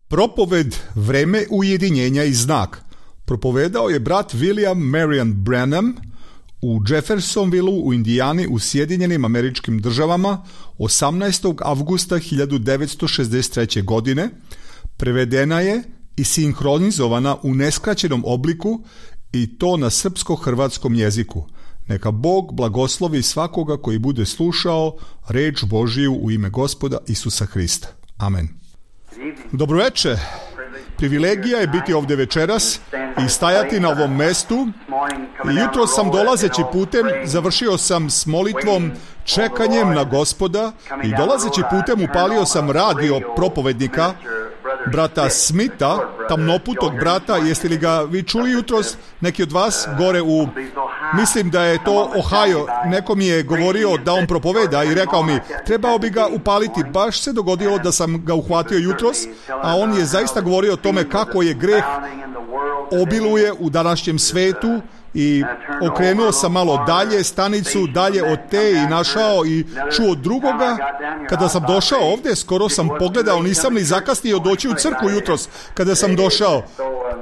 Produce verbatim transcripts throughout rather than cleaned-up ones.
Propoved Vreme ujedinjenja i znak propovedao je brat William Marion Branham u Jeffersonvilleu u Indijani u Sjedinjenim Američkim Državama osamnaestog avgusta hiljadu devetsto šezdeset treće. godine. Prevedena je i sinhronizovana u neskraćenom obliku i to na srpsko-hrvatskom jeziku. Neka Bog blagoslovi svakoga koji bude slušao reč Božiju u ime Gospoda Isusa Hrista. Amen. Dobroveče. Privilegija je biti ovdje večeras i stajati na ovom mestu. Jutro sam dolazeći putem, završio sam s molitvom, čekanjem na Gospoda i dolazeći putem upalio sam radio propovednika brata Smitha, tamnoputog brata. Jeste li ga vi čuli jutros? Neki od vas gore u, mislim da je to Ohio, neko mi je govorio da on propoveda i rekao mi trebao bi ga upaliti. Baš se dogodilo da sam ga uhvatio jutros, a on je zaista govorio o tome kako je greh obiluje u današnjem svetu. I okrenuo sam malo dalje stanicu, dalje od te i našao i čuo drugoga. Kada sam došao ovdje, skoro sam pogledao, nisam li zakasnio doći u crkvu jutros kada sam došao.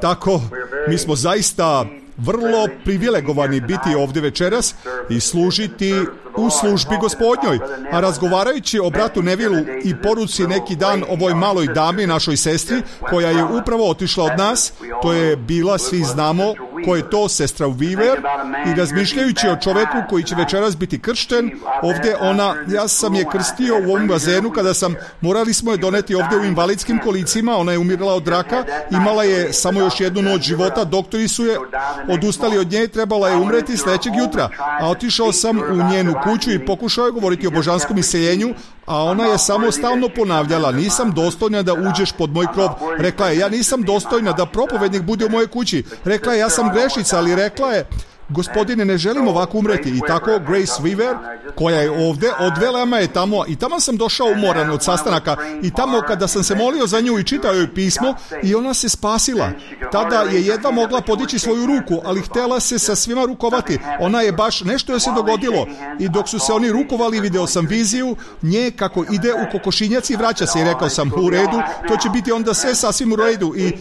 Tako, mi smo zaista vrlo privilegovani biti ovdje večeras i služiti u službi Gospodnjoj. A razgovarajući o bratu Nevilu i poruci neki dan ovoj maloj dami, našoj sestri, koja je upravo otišla od nas, to je bila, svi znamo ko je to, sestra Weaver, i razmišljajući o čoveku koji će večeras biti kršten, ovdje ona, ja sam je krstio u ovom bazenu kada sam, morali smo je doneti ovdje u invalidskim kolicima, ona je umirala od raka, imala je samo još jednu noć života, doktori su je odustali od nje, trebala je umreti sljedećeg jutra, a otišao sam u njenu kuću i pokušao je govoriti o božanskom iseljenju, a ona je samo stalno ponavljala, nisam dostojna da uđeš pod moj krov. Rekla je, ja nisam dostojna da propovednik bude u mojoj kući. Rekla je, ja sam grešica, ali rekla je, Gospodine, ne želim ovako umreti. I tako Grace Weaver, koja je ovdje, odvela me je tamo i tamo sam došao umoran od sastanaka i tamo kada sam se molio za nju i čitao joj pismo i ona se spasila. Tada je jedva mogla podići svoju ruku, ali htjela se sa svima rukovati. Ona je baš, nešto je se dogodilo i dok su se oni rukovali video sam viziju nje kako ide u kokošinjac i vraća se i rekao sam u redu, to će biti onda sve sasvim u redu i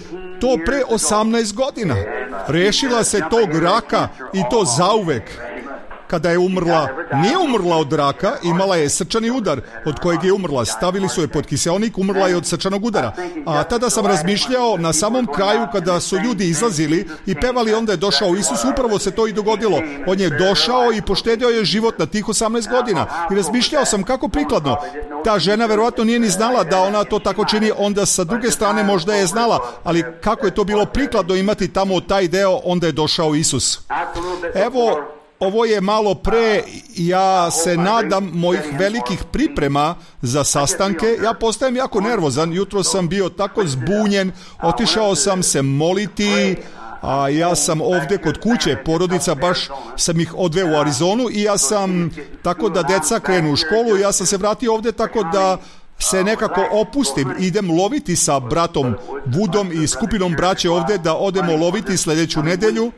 to pre osamnaest godina. Rešila se tog raka i to zauvek. Kada je umrla, nije umrla od raka, imala je srčani udar od kojeg je umrla. Stavili su je pod kiseonik, umrla je od srčanog udara. A tada sam razmišljao na samom kraju kada su ljudi izlazili i pevali, onda je došao Isus, upravo se to i dogodilo. On je došao i poštedio je život na tih osamnaest godina. I razmišljao sam kako prikladno. Ta žena verovatno nije ni znala da ona to tako čini, onda sa druge strane možda je znala, ali kako je to bilo prikladno imati tamo taj deo, onda je došao Isus. Evo, ovo je malo pre, ja se nadam, mojih velikih priprema za sastanke. Ja postajem jako nervozan, jutro sam bio tako zbunjen, otišao sam se moliti, a ja sam ovdje kod kuće, porodica, baš sam ih odveo u Arizonu i ja sam, tako da deca krenu u školu, ja sam se vratio ovdje tako da se nekako opustim, idem loviti sa bratom Woodom i skupinom braće ovdje da odemo loviti sljedeću nedjelju.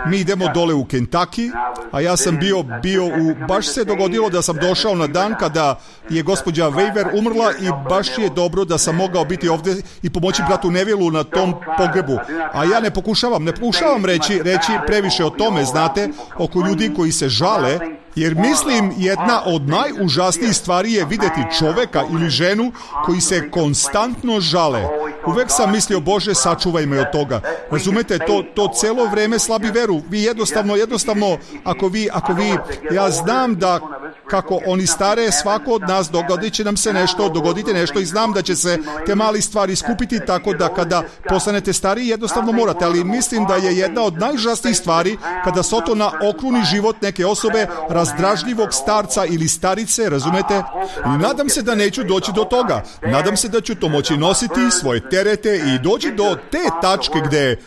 Mi idemo dole u Kentucky, a ja sam bio, bio u, baš se dogodilo da sam došao na dan kada je gospođa Weaver umrla i baš je dobro da sam mogao biti ovdje i pomoći bratu Nevilu na tom pogrebu. A ja ne pokušavam, ne pokušavam reći, reći previše o tome, znate, oko ljudi koji se žale, jer mislim jedna od najužasnijih stvari je vidjeti čoveka ili ženu koji se konstantno žale. Uvek sam mislio, Bože, sačuvaj me od toga. Razumete, to, to celo vreme slabi veru. Vi jednostavno, jednostavno, ako vi, ako vi, ja znam da kako oni stare, svako od nas dogodit će nam se nešto, dogodite nešto i znam da će se te mali stvari skupiti tako da kada postanete stariji jednostavno morate, ali mislim da je jedna od najužasnijih stvari kada se to na okruni život neke osobe, razdražljivog starca ili starice, razumete? I nadam se da neću doći do toga. Nadam se da ću to moći nositi, svoje terete i doći do te tačke gdje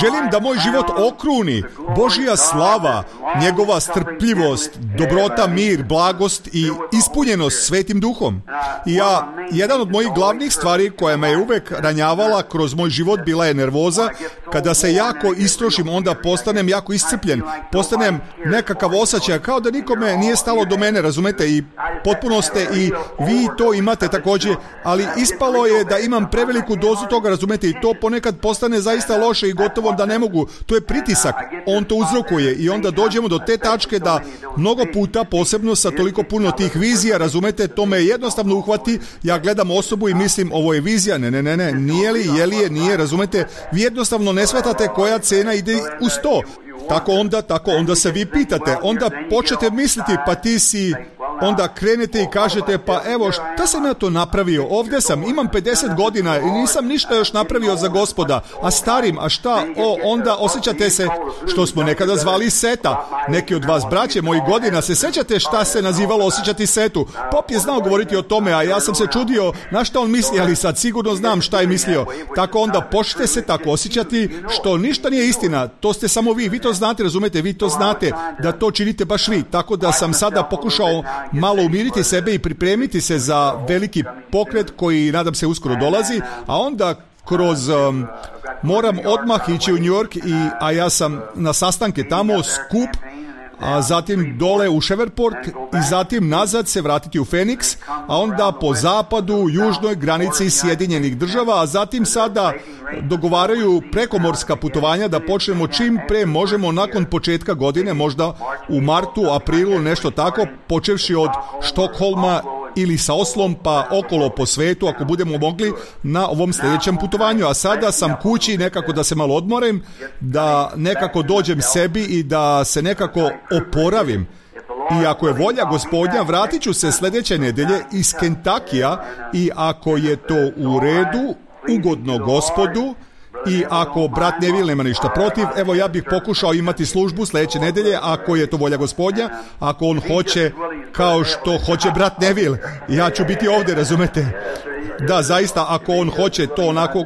želim da moj život okruni Božja slava, njegova strpljivost, dobrota, mir, blagost i ispunjenost Svetim Duhom. I ja, jedan od mojih glavnih stvari koja me je uvek ranjavala kroz moj život bila je nervoza. Kada se jako istrošim, onda postanem jako iscrpljen. Postanem nekakav osjećaj kao da nikome nije stalo do mene, razumete? I potpuno ste i vi to imate također, ali ispalo je da imam preveliku dozu toga, razumete, i to ponekad postane zaista loše i gotovo da ne mogu. To je pritisak, on to uzrokuje i onda dođemo do te tačke da mnogo puta, posebno sa toliko puno tih vizija, razumete, to me jednostavno uhvati, ja gledam osobu i mislim ovo je vizija, ne, ne, ne, ne, nije li, je li je, nije, razumete, vi jednostavno ne shvatate koja cena ide uz to. Tako onda, tako onda se vi pitate, onda počnete misliti, pa ti si, onda krenete i kažete, pa evo, šta sam ja to napravio, ovdje sam, imam pedeset godina i nisam ništa još napravio za Gospoda, a starim, a šta, o, onda osjećate se, što smo nekada zvali seta, neki od vas, braće moji godina, se sjećate šta se nazivalo osjećati setu, Pop je znao govoriti o tome, a ja sam se čudio na šta on misli, ali sad sigurno znam šta je mislio, tako onda počnete se tako osjećati, što ništa nije istina, to ste samo vi, vi to znate, razumete, vi to znate da to činite baš vi, tako da sam sada pokušao malo umiriti sebe i pripremiti se za veliki pokret koji nadam se uskoro dolazi, a onda kroz um, moram odmah ići u New York, i, a ja sam na sastanke tamo, skup, a zatim dole u Shreveport i zatim nazad se vratiti u Phoenix, a onda po zapadu, južnoj granici Sjedinjenih država, a zatim sada dogovaraju prekomorska putovanja da počnemo čim pre možemo nakon početka godine, možda u martu, aprilu, nešto tako, počevši od Štokholma ili sa Oslom pa okolo po svetu ako budemo mogli na ovom sljedećem putovanju. A sada sam kući nekako da se malo odmorim, da nekako dođem sebi i da se nekako oporavim. I ako je volja Gospodnja, vratit ću se sljedeće nedelje iz Kentakija, i ako je to u redu, ugodno Gospodu, i ako brat Neville nema ništa protiv, evo ja bih pokušao imati službu sljedeće nedelje, ako je to volja Gospodnja, ako on hoće kao što hoće brat Neville, ja ću biti ovdje, razumete? Da, zaista, ako on hoće to onako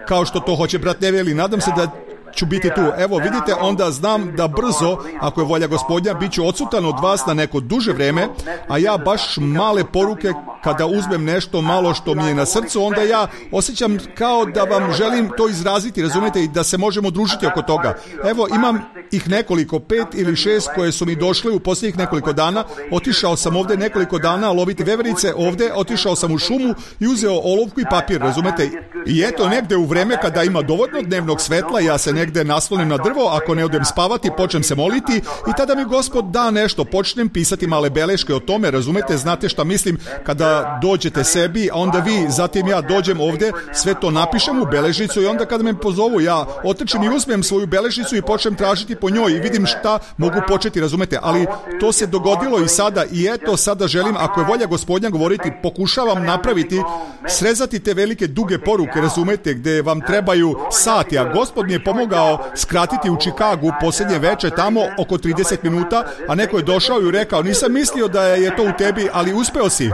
kao što to hoće brat Neville, i nadam se da ću biti tu. Evo vidite, onda znam da brzo, ako je volja Gospodnja, bit ću odsutan od vas na neko duže vrijeme, a ja baš male poruke, kada uzmem nešto malo što mi je na srcu, onda ja osjećam kao da vam želim to izraziti, razumijete, i da se možemo družiti oko toga. Evo, imam ih nekoliko, pet ili šest koje su mi došle u posljednjih nekoliko dana. Otišao sam ovdje nekoliko dana loviti veverice ovdje, otišao sam u šumu i uzeo olovku i papir, razumete. I eto, negdje u vrijeme kada ima dovoljno dnevnog svetla, ja se negdje naslonim na drvo, ako ne odem spavati, počnem se moliti i tada mi Gospod da nešto, počnem pisati male beleške o tome, razumete, znate šta mislim, kada dođete sebi, a onda vi, zatim ja dođem ovdje, sve to napišem u beležnicu i onda kada me pozovu, ja otrčim i uzmem svoju beležnicu i počnem tražiti po njoj i vidim šta mogu početi, razumete, ali to se dogodilo i sada, i eto sada želim, ako je volja Gospodnja govoriti, pokušavam napraviti, srezati te velike duge poruke, razumete, gdje vam trebaju sati, a Gospod mi je pomogao skratiti u Čikagu posljednje veče tamo oko trideset minuta, a neko je došao i rekao, nisam mislio da je to u tebi, ali uspeo si.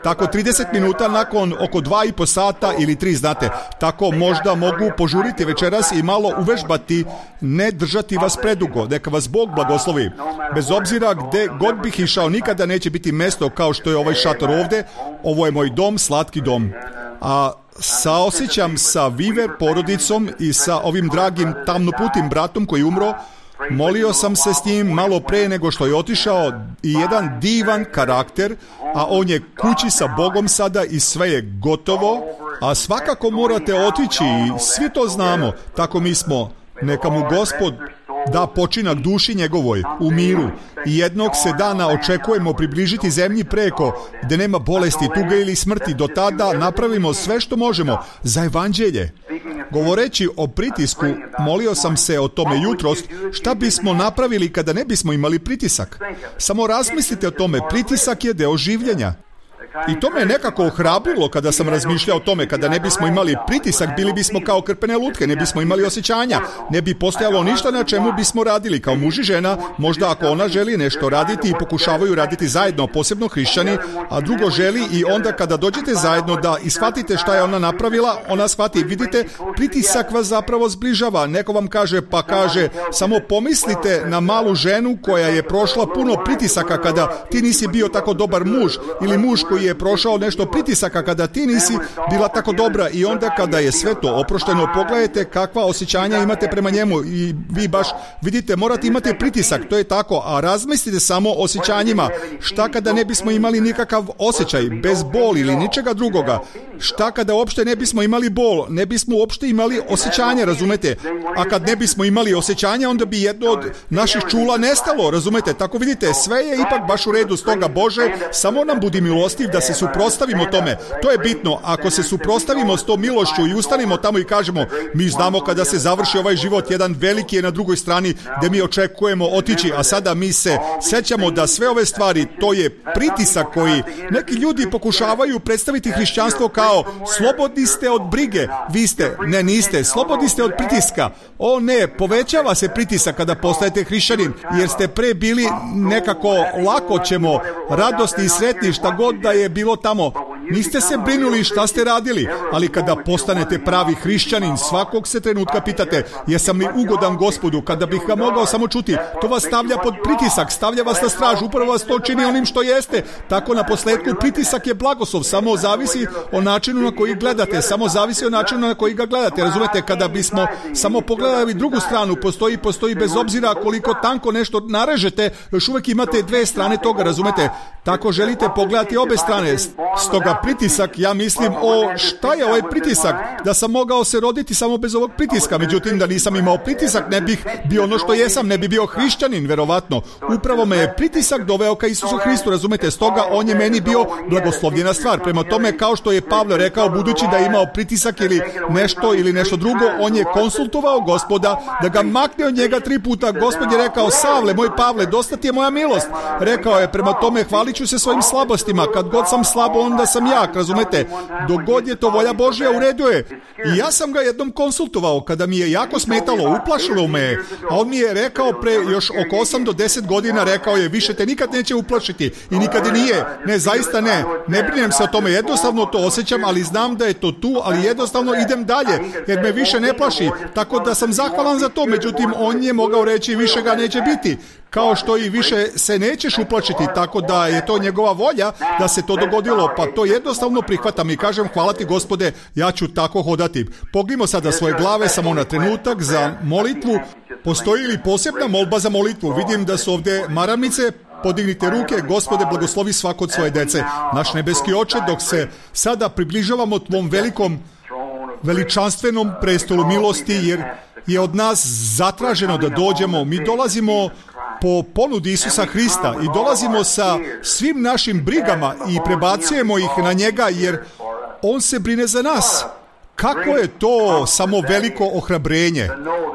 Tako trideset minuta nakon oko dva i po sata ili tri, znate, tako možda mogu požuriti večeras i malo uvežbati, ne držati vas predugo, neka vas Bog blagoslovi. Bez obzira gdje god bih išao, nikada neće biti mjesto kao što je ovaj šator ovdje, ovo je moj dom, slatki dom. A saosjećam sa Viver porodicom i sa ovim dragim tamnoputim bratom koji umro. Molio sam se s njim malo pre nego što je otišao, i jedan divan karakter, a on je kući sa Bogom sada i sve je gotovo, a svakako morate otići i svi to znamo, tako mi smo. Neka mu Gospod da počinak duši njegovoj u miru, i jednog se dana očekujemo približiti zemlji preko, gdje nema bolesti, tuge ili smrti. Do tada napravimo sve što možemo za evanđelje. Govoreći o pritisku, molio sam se o tome jutros, šta bismo napravili kada ne bismo imali pritisak. Samo razmislite o tome, pritisak je deo življenja. I to me nekako ohrabrilo kada sam razmišljao o tome, kada ne bismo imali pritisak, bili bismo kao krpene lutke, ne bismo imali osjećanja, ne bi postojalo ništa na čemu bismo radili kao muž i žena. Možda ako ona želi nešto raditi i pokušavaju raditi zajedno, posebno hrišćani, a drugo želi, i onda kada dođete zajedno da ishvatite šta je ona napravila, ona shvati, vidite, pritisak vas zapravo zbližava. Neko vam kaže, pa kaže, samo pomislite na malu ženu koja je prošla puno pritisaka kada ti nisi bio tako dobar muž, ili muž koji je je prošao nešto pritisaka kada ti nisi bila tako dobra i onda kada je sve to oprošteno, pogledajte kakva osjećanja imate prema njemu i vi baš vidite, morate imati pritisak, to je tako, a razmislite samo o osjećanjima. Šta kada ne bismo imali nikakav osjećaj, bez boli ili ničega drugoga? Šta kada uopšte ne bismo imali bol, ne bismo uopšte imali osjećanje, razumete? A kad ne bismo imali osjećanje, onda bi jedno od naših čula nestalo, razumete? Tako vidite, sve je ipak baš u redu, stoga Bože, samo nam budi milostiv da se suprotstavimo tome. To je bitno, ako se suprotstavimo s tom milošću i ustanimo tamo i kažemo, mi znamo kada se završi ovaj život, jedan veliki je na drugoj strani gde mi očekujemo otići, a sada mi se sećamo da sve ove stvari, to je pritisak koji neki ljudi pokušavaju predstaviti hrišćanstvo kao slobodni ste od brige, vi ste, ne niste, slobodni ste od pritiska. O ne, povećava se pritisak kada postajete hrišćanin, jer ste pre bili nekako lako ćemo, radosni i sretni šta god da je bilo tamo. Niste se brinuli šta ste radili, ali kada postanete pravi hrišćanin, svakog se trenutka pitate, jesam li ugodan Gospodu, kada bih ga mogao samo čuti, to vas stavlja pod pritisak, stavlja vas na stražu, upravo vas to čini onim što jeste. Tako na posledku pritisak je blagoslov, samo zavisi o načinu na koji gledate, samo zavisi o načinu na koji ga gledate, razumete, kada bismo samo pogledali drugu stranu, postoji, postoji bez obzira koliko tanko nešto narežete, još uvek imate dve strane toga, razumete, tako želite pogledati obe strane, stoga pritisak, ja mislim, o šta je ovaj pritisak, da sam mogao se roditi samo bez ovog pritiska, međutim da nisam imao pritisak, ne bih bio ono što jesam, ne bi bio hrišćanin, verovatno. Upravo me je pritisak doveo ka Isusu Hristu, razumete, stoga on je meni bio blagoslovljena stvar. Prema tome, kao što je Pavle rekao, budući da je imao pritisak ili nešto ili nešto drugo, on je konsultovao Gospoda da ga makne od njega tri puta. Gospod je rekao, Savle, moj Pavle, dosta ti je moja milost. Rekao je, prema tome, hvalit ću se svojim slabostima, kad god sam slabo, onda sam jak, razumete, dok god je to volja Božja, u redu je. I ja sam ga jednom konsultovao, kada mi je jako smetalo, uplašilo me je, a on mi je rekao pre još oko osam do deset godina, rekao je, više te nikad neće uplašiti i nikad i nije, ne, zaista ne, ne brinem se o tome, jednostavno to osjećam, ali znam da je to tu, ali jednostavno idem dalje, jer me više ne plaši, tako da sam zahvalan za to, međutim, on je mogao reći, više ga neće biti, kao što i više se nećeš uplašiti, tako da je to njegova volja da se to dogodilo, pa to jednostavno prihvatam i kažem, hvala ti Gospode, ja ću tako hodati. Pognimo sada svoje glave samo na trenutak za molitvu. Postoji li posebna molba za molitvu? Vidim da su ovde maramice. Podignite ruke, Gospode, blagoslovi svako od svoje dece. Naš nebeski Oče, dok se sada približavamo tvom velikom, veličanstvenom prestolu milosti, jer je od nas zatraženo da dođemo, mi dolazimo po ponudi Isusa Hrista i dolazimo sa svim našim brigama i prebacujemo ih na njega, jer on se brine za nas. Kako je to samo veliko ohrabrenje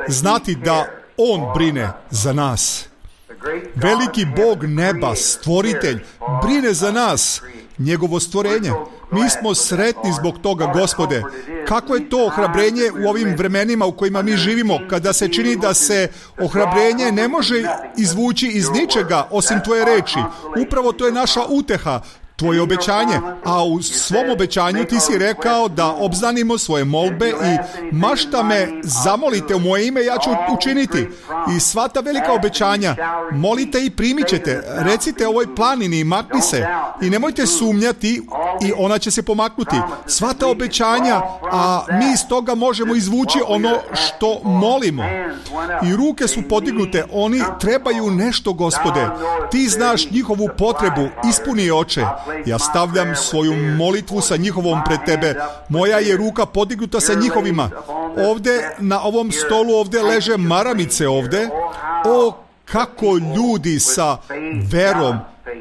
znati da on brine za nas. Veliki Bog neba, stvoritelj, brine za nas, njegovo stvorenje. Mi smo sretni zbog toga, Gospode. Kako je to ohrabrenje u ovim vremenima u kojima mi živimo, kada se čini da se ohrabrenje ne može izvući iz ničega osim tvoje reči. Upravo to je naša uteha, tvoje obećanje, a u svom obećanju ti si rekao da obznanimo svoje molbe i mašta me zamolite u moje ime, ja ću učiniti. I sva ta velika obećanja, molite i primit ćete, recite ovoj planini i makni se i nemojte sumnjati i ona će se pomaknuti. Sva ta obećanja, a mi iz toga možemo izvući ono što molimo. I ruke su podignute, oni trebaju nešto, Gospode. Ti znaš njihovu potrebu, ispuni je, Oče. Ja stavljam svoju molitvu sa njihovom pred tebe. Moja je ruka podignuta sa njihovima. Ovde, na ovom stolu, ovde leže maramice ovde. O, kako ljudi sa verom,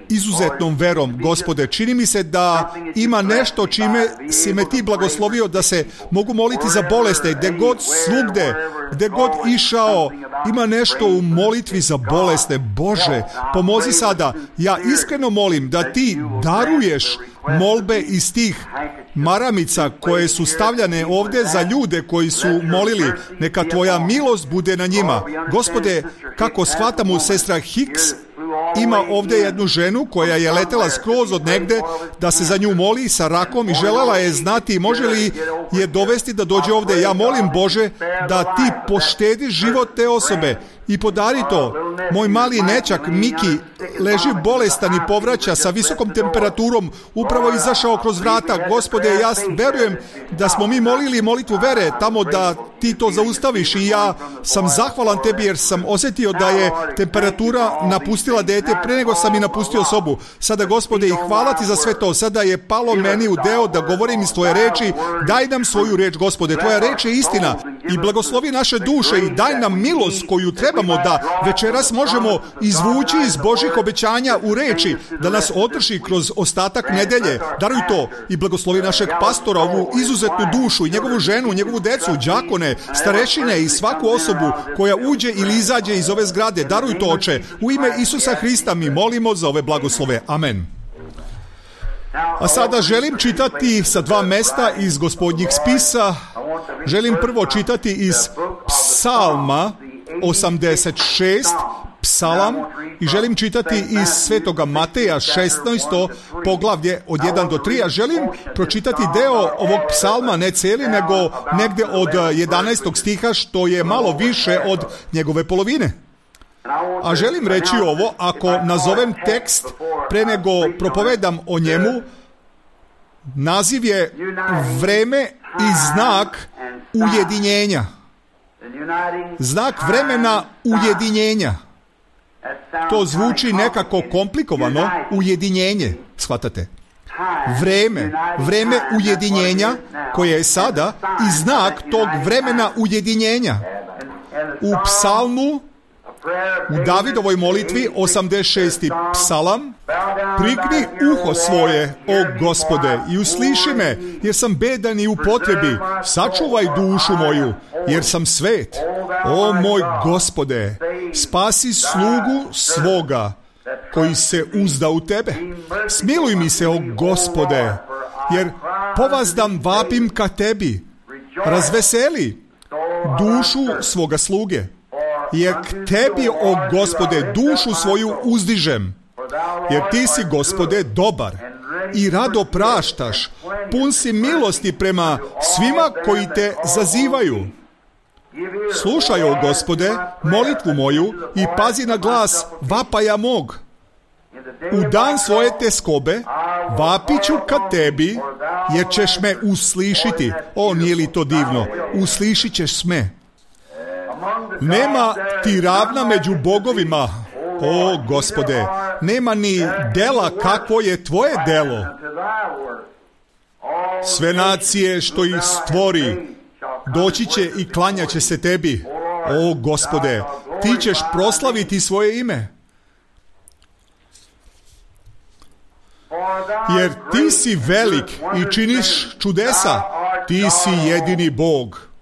izuzetnom verom, Gospode, čini mi se da ima nešto čime si me ti blagoslovio da se mogu moliti za boleste, gde god svugde, gde god išao, ima nešto u molitvi za bolesne. Bože, pomozi sada. Ja iskreno molim da ti daruješ molbe iz tih maramica koje su stavljane ovde za ljude koji su molili. Neka tvoja milost bude na njima. Gospode, kako shvatamo, sestra Hicks ima ovde jednu ženu koja je letela skroz od negde da se za nju moli sa rakom i želela je znati može li je dovesti da dođe ovde. Ja molim, Bože, da ti poštediš život te osobe. i podari to. Moj mali nećak Miki leži bolestan i povraća sa visokom temperaturom, upravo izašao kroz vrata. Gospode, ja verujem da smo mi molili molitvu vere tamo da ti to zaustaviš i ja sam zahvalan tebi jer sam osjetio da je temperatura napustila dete pre nego sam i napustio sobu. Sada, Gospode, i hvala ti za sve to. Sada je palo meni u deo da govorim iz tvoje reči. Daj nam svoju reč, Gospode. Tvoja reč je istina i blagoslovi naše duše i daj nam milost koju trebamo da večeras možemo izvući iz Božih obećanja u reči, da nas održi kroz ostatak nedelje. Daruj to i blagoslovi našeg pastora, ovu izuzetnu dušu i njegovu ženu, njegovu decu, đakone, starešine i svaku osobu koja uđe ili izađe iz ove zgrade. Daruj to, Oče. U ime Isusa Hrista mi molimo za ove blagoslove. Amen. A sada želim čitati sa dva mesta iz Gospodnjih spisa. Želim prvo čitati iz Psalma osamdeset šest, Psalam, i želim čitati iz Svetoga Mateja šesnaesto poglavlje od jedan do tri, a želim pročitati deo ovog psalma, ne cijeli, nego negde od jedanaestog stiha, što je malo više od njegove polovine. A želim reći ovo, ako nazovem tekst pre nego propovedam o njemu, naziv je Vreme i znak ujedinjenja. Znak vremena ujedinjenja. To zvuči nekako komplikovano, ujedinjenje, shvatate? Vreme, vreme ujedinjenja koje je sada i znak tog vremena ujedinjenja. U psalmu, u Davidovoj molitvi, osamdeset šesti psalam, prikni uho svoje, o Gospode, i usliši me, jer sam bedan i u potrebi. Sačuvaj dušu moju, jer sam svet. O moj Gospode, spasi slugu svoga, koji se uzda u tebe. Smiluj mi se, o Gospode, jer povazdam vapim ka tebi. Razveseli dušu svoga sluge. Jer k tebi, o Gospode, dušu svoju uzdižem. Jer ti si, Gospode, dobar i rado praštaš. Pun si milosti prema svima koji te zazivaju. Slušaj, o Gospode, molitvu moju i pazi na glas vapaja mog. U dan svoje teskobe vapiću ka tebi, jer ćeš me uslišiti. O, nije li to divno? Uslišit ćeš me. Nema ti ravna među bogovima, o Gospode, nema ni dela kakvo je tvoje delo. Sve nacije što ih stvori doći će i klanjaće se tebi, o Gospode, ti ćeš proslaviti svoje ime. Jer ti si velik i činiš čudesa, ti si jedini Bog.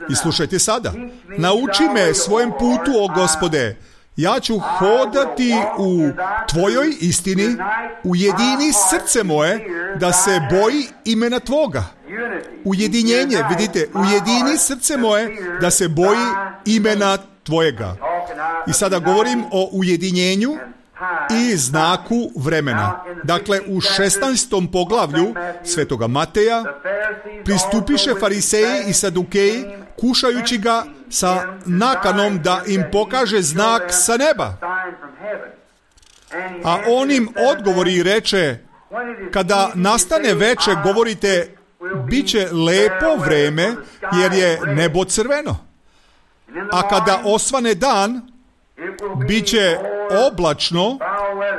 I slušajte sada, nauči me svojem putu, o Gospode, ja ću hodati u tvojoj istini, ujedini srce moje, da se boji imena tvoga. Ujedinjenje, vidite, ujedini srce moje, da se boji imena tvojega. I sada govorim o ujedinjenju i znaku vremena. Dakle, u šesnaestom poglavlju Svetoga Mateja pristupiše fariseji i sadukeji, kušajući ga sa nakanom da im pokaže znak sa neba. A on im odgovori i reče, kada nastane veče, govorite, bit će lepo vreme, jer je nebo crveno. A kada osvane dan, bit će oblačno,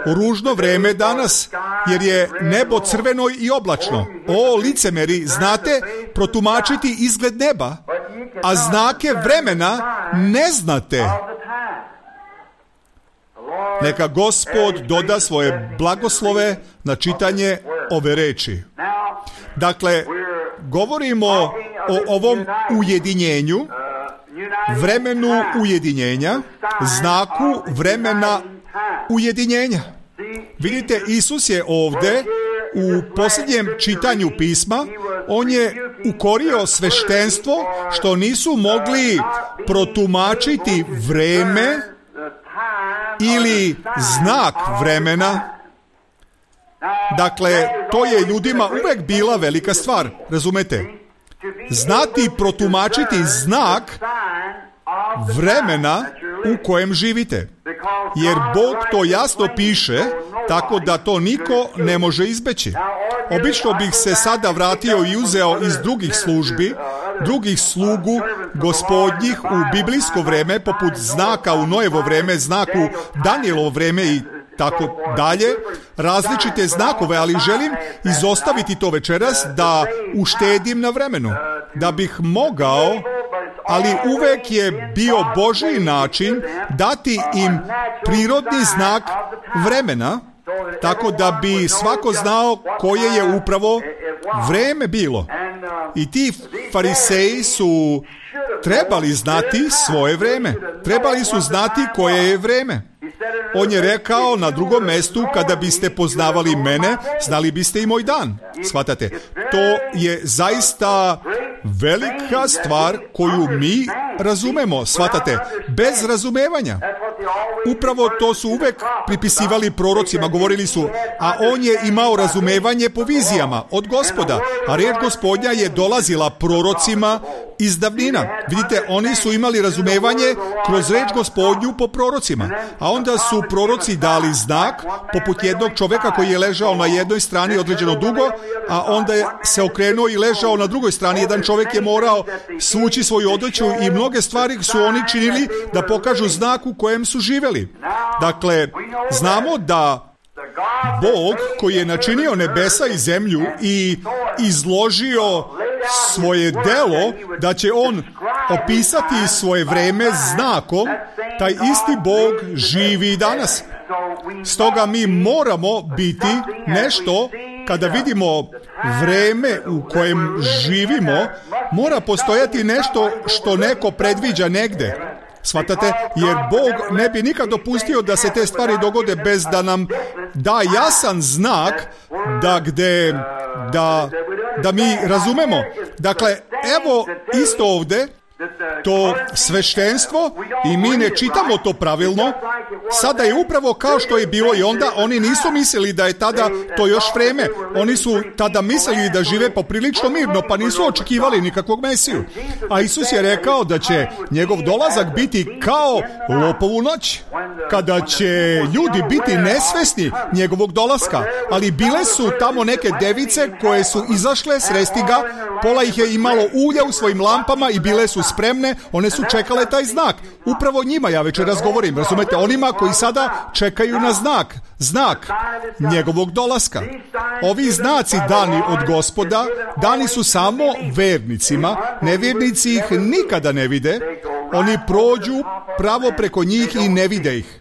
ružno vreme danas, jer je nebo crveno i oblačno. O, licemeri, znate protumačiti izgled neba, a znake vremena ne znate. Neka Gospod doda svoje blagoslove na čitanje ove reči. Dakle, govorimo o ovom ujedinjenju, vremenu ujedinjenja, znaku vremena ujedinjenja. Vidite, Isus je ovdje u posljednjem čitanju pisma, on je ukorio sveštenstvo što nisu mogli protumačiti vreme ili znak vremena. Dakle, to je ljudima uvek bila velika stvar, razumete? Znati protumačiti znak vremena u kojem živite. Jer Bog to jasno piše, tako da to niko ne može izbeći. Obično bih se sada vratio i uzeo iz drugih službi, drugih slugu gospodnjih u biblijsko vreme, poput znaka u Nojevo vreme, znaku Danijelovo vreme i tako dalje, različite znakove, ali želim izostaviti to večeras da uštedim na vremenu, da bih mogao, ali uvek je bio Božji način dati im prirodni znak vremena, tako da bi svako znao koje je upravo vreme bilo. I ti fariseji su trebali znati svoje vreme. Trebali su znati koje je vreme. On je rekao na drugom mestu, kada biste poznavali mene, znali biste i moj dan. Shvatate? To je zaista velika stvar koju mi razumemo. Shvatate? Bez razumevanja. Upravo to su uvek pripisivali prorocima. Govorili su, a on je imao razumevanje po vizijama od Gospoda. A riječ Gospodnja je dolazila prorocima iz davnina. Vidite, oni su imali razumevanje kroz riječ Gospodnju po prorocima. A onda su proroci dali znak, poput jednog čoveka koji je ležao na jednoj strani određeno dugo, a onda je se okrenuo i ležao na drugoj strani. Jedan čovek je morao svući svoju odeću i mnoge stvari su oni činili da pokažu znak u kojem su živeli. Dakle, znamo da Bog koji je načinio nebesa i zemlju i izložio svoje delo, da će on opisati svoje vreme znakom, taj isti Bog živi i danas. Stoga mi moramo biti nešto, kada vidimo vreme u kojem živimo, mora postojati nešto što neko predviđa negde. Shvatate? Jer Bog ne bi nikad dopustio da se te stvari dogode bez da nam da jasan znak da gde da, da mi razumemo. Dakle, evo isto ovde to sveštenstvo i mi ne čitamo to pravilno. Sada je upravo kao što je bilo i onda. Oni nisu mislili da je tada to još vreme. Oni su tada mislili da žive poprilično mirno, pa nisu očekivali nikakvog Mesiju. A Isus je rekao da će njegov dolazak biti kao lopovu noć, kada će ljudi biti nesvesni njegovog dolaska. Ali bile su tamo neke device koje su izašle sresti ga, pola ih je imalo ulja u svojim lampama i bile su spremne, one su čekale taj znak. Upravo njima ja večeras govorim, razumete, onima koji sada čekaju na znak, znak njegovog dolaska. Ovi znaci dani od Gospoda, dani su samo vernicima, nevjernici ih nikada ne vide, oni prođu pravo preko njih i ne vide ih.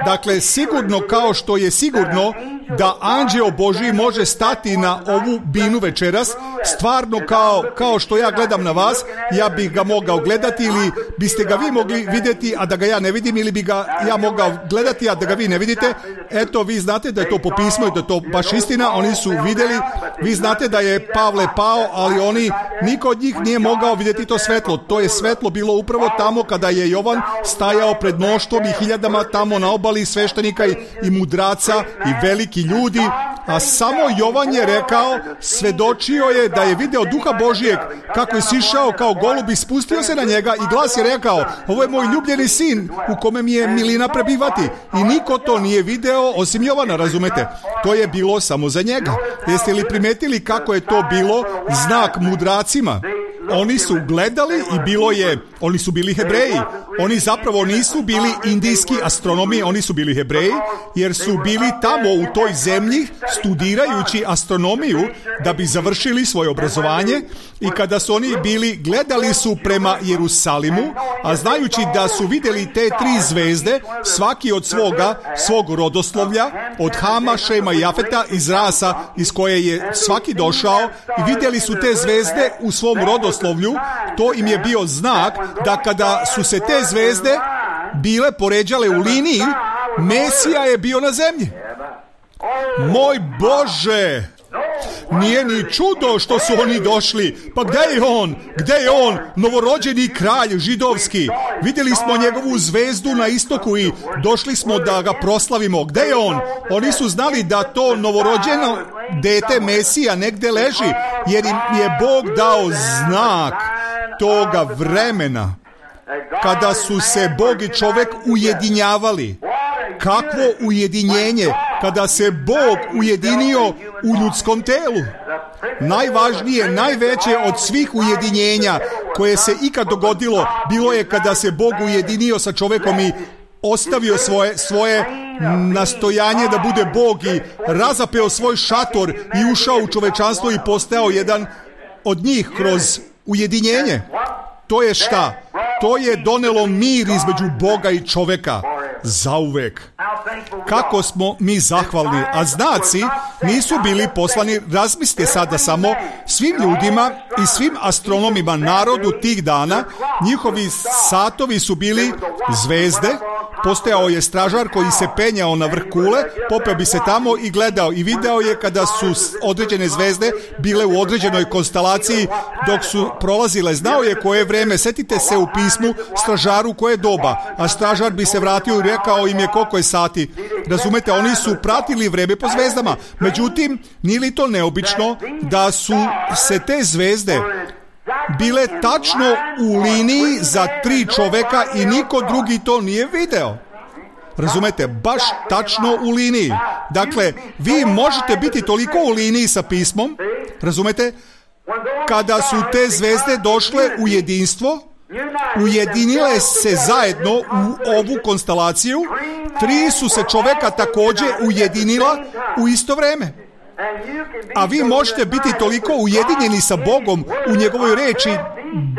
Dakle, sigurno kao što je sigurno da anđeo Božji može stati na ovu binu večeras, stvarno kao, kao što ja gledam na vas, ja bih ga mogao gledati ili biste ga vi mogli vidjeti, a da ga ja ne vidim, ili bi ga ja mogao gledati, a da ga vi ne vidite. Eto, vi znate da je to po pismu i da je to baš istina, oni su vidjeli, vi znate da je Pavle pao, ali oni, niko od njih nije mogao vidjeti to svetlo. To je svetlo bilo upravo tamo kada je Jovan stajao pred mnoštvom i hiljadama tamo na obali sveštenika i, i mudraca i veliki ljudi, a samo Jovan je rekao, svedočio je da je video Duha Božijeg kako je sišao kao golub i spustio se na njega i glas je rekao, ovo je moj ljubljeni sin u kome mi je milina prebivati. I niko to nije video osim Jovana, razumete? To je bilo samo za njega. Jeste li primetili kako je to bilo znak mudracima? Oni su gledali i bilo je, oni su bili Hebreji. Oni zapravo nisu bili indijski astronomi, oni su bili Hebreji, jer su bili tamo u toj zemlji studirajući astronomiju da bi završili svoje obrazovanje, i kada su oni bili, gledali su prema Jerusalimu, a znajući da su vidjeli te tri zvezde, svaki od svoga, svog rodoslovlja, od Hama, Šema i Jafeta, iz rasa iz koje je svaki došao, i vidjeli su te zvezde u svom rodoslovlju, to im je bio znak da kada su se te zvezde bile poređale u liniji, Mesija je bio na zemlji. Moj Bože! Nije ni čudo što su oni došli. Pa gdje je on? Gdje je on? Novorođeni kralj židovski. Vidjeli smo njegovu zvezdu na istoku i došli smo da ga proslavimo. Gdje je on? Oni su znali da to novorođeno dete Mesija negdje leži, jer im je Bog dao znak toga vremena. kada su se Bog i čovek ujedinjavali. Kakvo ujedinjenje kada se Bog ujedinio u ljudskom telu. Najvažnije, najveće od svih ujedinjenja koje se ikad dogodilo bilo je kada se Bog ujedinio sa čovekom i ostavio svoje, svoje nastojanje da bude Bog i razapeo svoj šator i ušao u čovečanstvo i postao jedan od njih kroz ujedinjenje. To je šta? To je donelo mir između Boga i čoveka. Zauvek. Kako smo mi zahvalni, a znaci nisu bili poslani, razmislite sada samo, svim ljudima i svim astronomima, narodu tih dana, njihovi satovi su bili zvezde, postojao je stražar koji se penjao na vrh kule, popeo bi se tamo i gledao i video je kada su određene zvezde bile u određenoj konstelaciji dok su prolazile, znao je koje vreme, setite se u pismu stražaru koje doba, a stražar bi se vratio i rekao im je koliko je sati. Razumete, oni su pratili vreme po zvezdama. Međutim, nije li to neobično da su se te zvezde bile tačno u liniji za tri čoveka i niko drugi to nije video? Razumete, baš tačno u liniji. Dakle, vi možete biti toliko u liniji sa pismom, razumete, kada su te zvezde došle u jedinstvo, ujedinile se zajedno u ovu konstelaciju, tri su se čoveka također ujedinila u isto vreme. A vi možete biti toliko ujedinjeni sa Bogom u njegovoj reči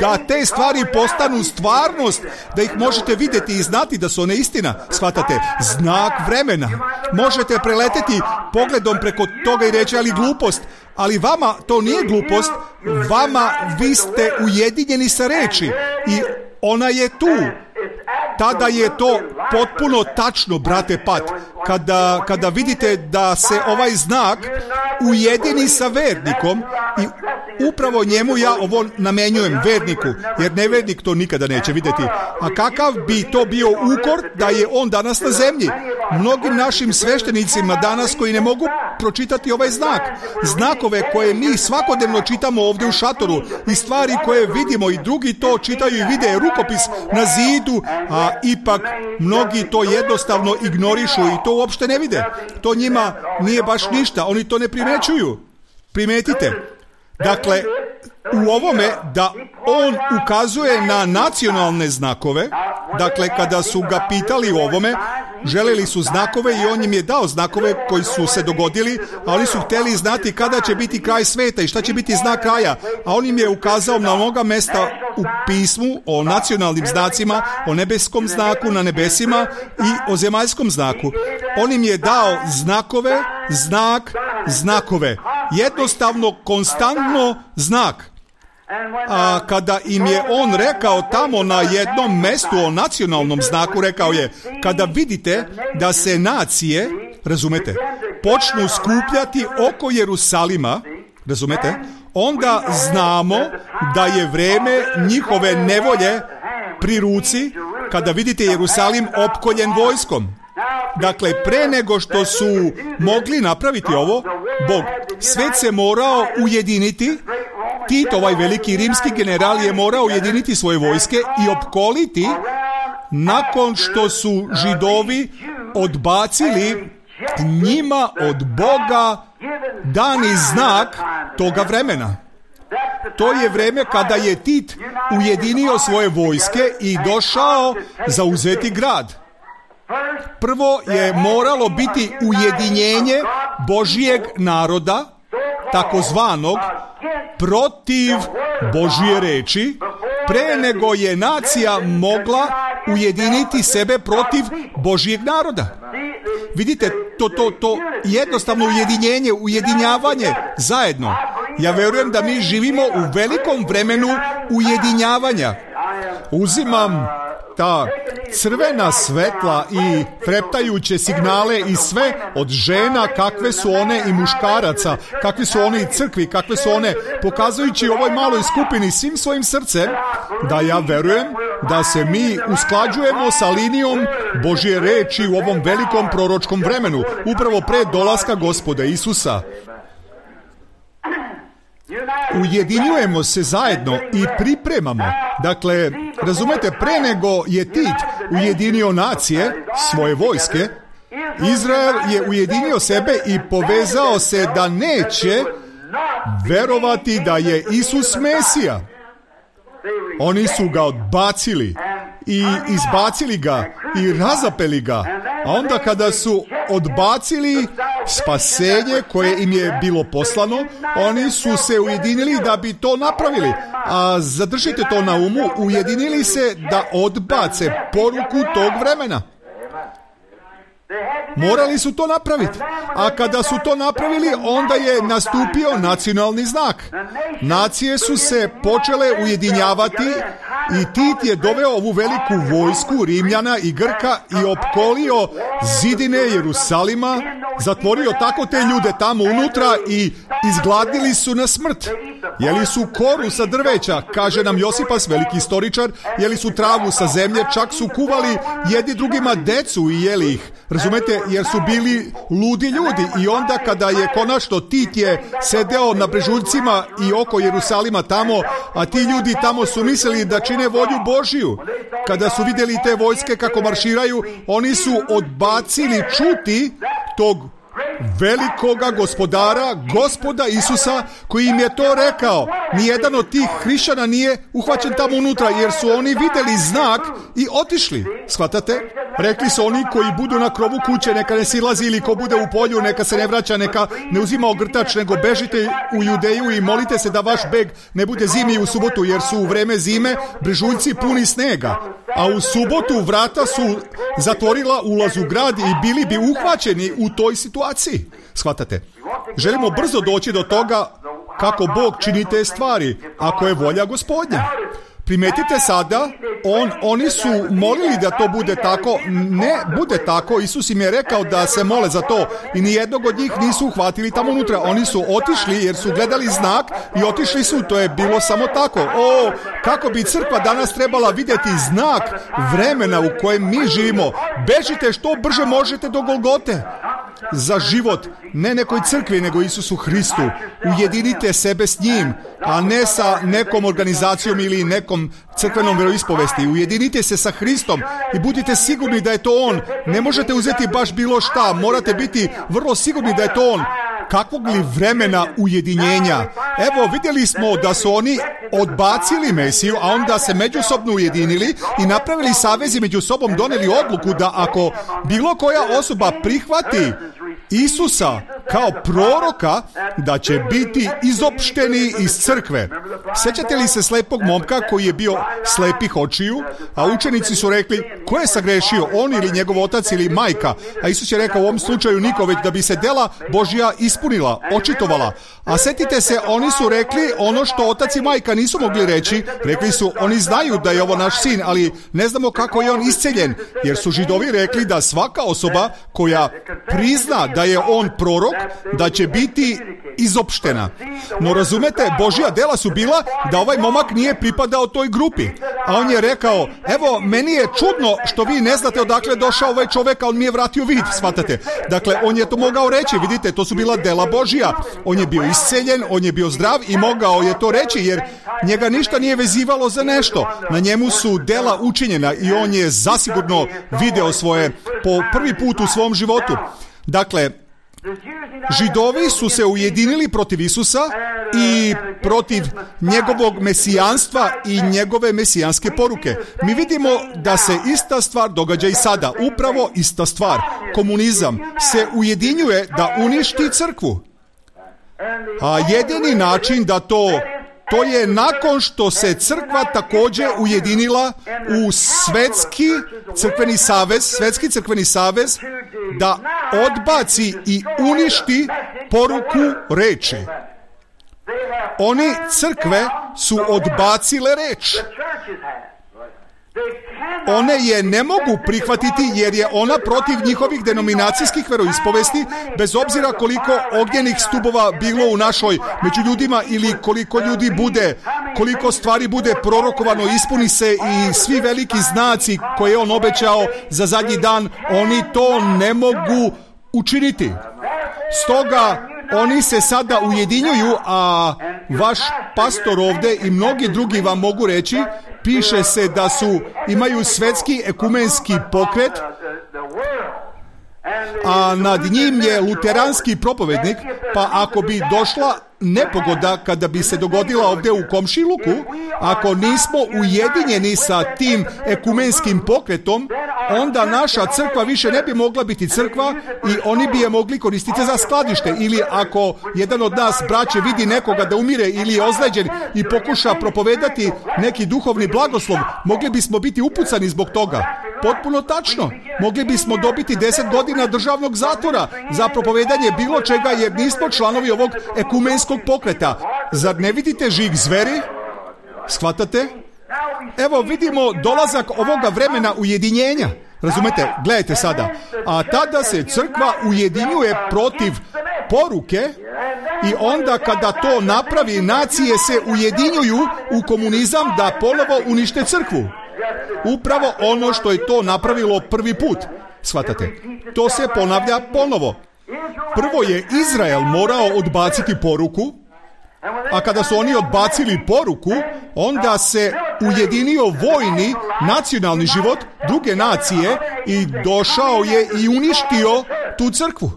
da te stvari postanu stvarnost, da ih možete vidjeti i znati da su one istina. Shvatate, znak vremena. Možete preleteti pogledom preko toga i reći, ali glupost. Ali vama to nije glupost, vama vi ste ujedinjeni sa reči i ona je tu. Tada je to potpuno tačno, brate Pat, kada, kada vidite da se ovaj znak ujedini sa vernikom i upravo njemu ja ovo namenjujem, verniku, jer nevernik to nikada neće vidjeti. A kakav bi to bio ukor da je on danas na zemlji? Mnogim našim sveštenicima danas koji ne mogu pročitati ovaj znak, znakove koje mi svakodnevno čitamo ovdje u šatoru i stvari koje vidimo i drugi to čitaju i vide rukopis na zidu, a ipak mnogi to jednostavno ignorišu i to uopšte ne vide. To njima nije baš ništa, oni to ne primećuju. Primetite. Dakle, u ovome da on ukazuje na nacionalne znakove, dakle kada su ga pitali o ovome, želeli su znakove i on im je dao znakove koji su se dogodili, a oni su htjeli znati kada će biti kraj sveta i šta će biti znak kraja, a on im je ukazao na mnoga mesta u pismu o nacionalnim znacima, o nebeskom znaku na nebesima i o zemaljskom znaku. On im je dao znakove, znak, znakove. Jednostavno, konstantno znak. A kada im je on rekao tamo na jednom mestu o nacionalnom znaku, rekao je, kada vidite da se nacije, razumete, počnu skupljati oko Jerusalima, razumete, onda znamo da je vreme njihove nevolje pri ruci, kada vidite Jerusalim opkoljen vojskom. Dakle, pre nego što su mogli napraviti ovo, Bog, svet se morao ujediniti. Tito, ovaj veliki rimski general, je morao ujediniti svoje vojske i opkoliti nakon što su Židovi odbacili njima od Boga dani znak toga vremena. To je vreme kada je Tit ujedinio svoje vojske i došao zauzeti grad. Prvo je moralo biti ujedinjenje Božijeg naroda, takozvanog, protiv Božije reči, pre nego je nacija mogla ujediniti sebe protiv Božijeg naroda. Vidite, to, to, to jednostavno ujedinjenje, ujedinjavanje zajedno. Ja verujem da mi živimo u velikom vremenu ujedinjavanja. Uzimam ta crvena svetla i treptajuće signale i sve od žena, kakve su one, i muškaraca, kakve su one i crkvi, kakve su one, pokazujući ovoj maloj skupini svim svojim srcem da ja verujem da se mi usklađujemo sa linijom Božje reči u ovom velikom proročkom vremenu, upravo pre dolaska Gospoda Isusa. ujedinjujemo se zajedno i pripremamo. Dakle, razumete, pre nego je Tit ujedinio nacije, svoje vojske, Izrael je ujedinio sebe i povezao se da neće verovati da je Isus Mesija. Oni su ga odbacili i izbacili ga i razapeli ga. A onda kada su odbacili spasenje koje im je bilo poslano, oni su se ujedinili da bi to napravili. A zadržite to na umu, ujedinili se da odbace poruku tog vremena. Morali su to napraviti. A kada su to napravili, onda je nastupio nacionalni znak. Nacije su se počele ujedinjavati i Tit je doveo ovu veliku vojsku Rimljana i Grka i opkolio zidine Jerusalima, zatvorio tako te ljude tamo unutra i izgladnili su na smrt. Jeli su koru sa drveća, kaže nam Josipas, veliki istoričar, jeli su travu sa zemlje, čak su kuvali jedni drugima decu i jeli ih. Razumete, jer su bili ludi ljudi. I onda kada je konačno Tit je sedeo na brežuljcima i oko Jerusalima tamo, a ti ljudi tamo su mislili da čine volju Božiju. Kada su vidjeli te vojske kako marširaju, oni su odbacili čuti tog velikoga gospodara, gospoda Isusa, koji im je to rekao. Nijedan od tih hrišćana nije uhvaćen tamo unutra, jer su oni vidjeli znak i otišli. Shvatate? Rekli su oni koji budu na krovu kuće, neka ne silazi, ili ko bude u polju, neka se ne vraća, neka ne uzima ogrtač, nego bežite u Judeju i molite se da vaš beg ne bude zimi u subotu, jer su u vreme zime brežuljci puni snega. A u subotu vrata su zatvorila ulaz u grad i bili bi uhvaćeni u toj situaciji. Shvatate? Želimo brzo doći do toga kako Bog čini te stvari, ako je volja Gospodnja. Primetite sada, on, oni su molili da to bude tako, ne bude tako, Isus im je rekao da se mole za to i nijednog od njih nisu uhvatili tamo unutra. Oni su otišli jer su gledali znak i otišli su, to je bilo samo tako. O, kako bi crkva danas trebala vidjeti znak vremena u kojem mi živimo. Bežite što brže možete do Golgote. Za život, ne nekoj crkvi, nego Isusu Hristu. Ujedinite sebe s njim, a ne sa nekom organizacijom ili nekom crkvenom vjeroispovesti. Ujedinite se sa Hristom i budite sigurni da je to On. Ne možete uzeti baš bilo šta, morate biti vrlo sigurni da je to On. Kakvog li vremena ujedinjenja? Evo, vidjeli smo da su oni odbacili Mesiju, a onda se međusobno ujedinili i napravili savez i među sobom doneli odluku da ako bilo koja osoba prihvati Isusa kao proroka, da će biti izopšteni iz crkve. Sjećate li se slepog momka koji je bio slepih očiju, a učenici su rekli, ko je sagrešio, on ili njegov otac ili majka? A Isus je rekao, u ovom slučaju niko, već da bi se dela Božja ispunila, očitovala. A sjetite se, oni su rekli ono što otac i majka nisu mogli reći. Rekli su, oni znaju da je ovo naš sin, ali ne znamo kako je on isceljen, jer su Židovi rekli da svaka osoba koja prizna da je on prorok, da će biti izopštena. No razumete, Božja dela su bila da ovaj momak nije pripadao toj grupi. A on je rekao, evo, meni je čudno što vi ne znate odakle došao ovaj čovjek, a on mi je vratio vid, shvatate. Dakle, on je to mogao reći, vidite, to su bila dela Božja. On je bio isceljen, on je bio zdrav i mogao je to reći, jer njega ništa nije vezivalo za nešto. Na njemu su dela učinjena i on je zasigurno video svoje po prvi put u svom životu. Dakle, Židovi su se ujedinili protiv Isusa i protiv njegovog mesijanstva i njegove mesijanske poruke. Mi vidimo da se ista stvar događa i sada. Upravo ista stvar. Komunizam se ujedinjuje da uništi crkvu. A jedini način da to To je nakon što se crkva također ujedinila u svetski crkveni savez, svetski crkveni savez, da odbaci i uništi poruku reči. Oni crkve su odbacile reč. One je ne mogu prihvatiti jer je ona protiv njihovih denominacijskih veroispovesti, bez obzira koliko ognjenih stubova bilo u našoj među ljudima ili koliko ljudi bude, koliko stvari bude prorokovano, ispuni se i svi veliki znaci koje je on obećao za zadnji dan, oni to ne mogu učiniti. Stoga oni se sada ujedinjuju, a vaš pastor ovde i mnogi drugi vam mogu reći, piše se da su, imaju svetski ekumenski pokret, a nad njim je luteranski propovednik, pa ako bi došla nepogoda kada bi se dogodila ovdje u komšiluku, ako nismo ujedinjeni sa tim ekumenskim pokretom, onda naša crkva više ne bi mogla biti crkva i oni bi je mogli koristiti za skladište. Ili ako jedan od nas, braće, vidi nekoga da umire ili je ozleđen i pokuša propovedati neki duhovni blagoslov, mogli bismo biti upucani zbog toga. Potpuno tačno. Mogli bismo dobiti deset godina državnog zatvora za propovedanje bilo čega jer nismo članovi ovog ekumenskog pokreta. Zar ne vidite žig zveri? Shvatate? Evo vidimo dolazak ovoga vremena ujedinjenja. Razumete? Gledajte sada. A tada se crkva ujedinjuje protiv poruke i onda kada to napravi, nacije se ujedinjuju u komunizam da ponovo unište crkvu. Upravo ono što je to napravilo prvi put. Shvatate? To se ponavlja ponovo. Prvo je Izrael morao odbaciti poruku, a kada su oni odbacili poruku, onda se ujedinio vojni, nacionalni život druge nacije i došao je i uništio tu crkvu.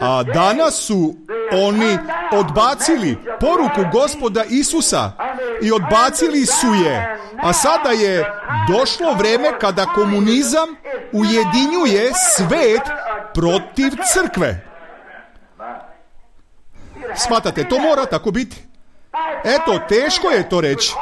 A danas su oni odbacili poruku Gospoda Isusa i odbacili su je. A sada je došlo vreme kada komunizam ujedinjuje svet protiv crkve. Shvatate, to mora tako biti. Eto, teško je to reći.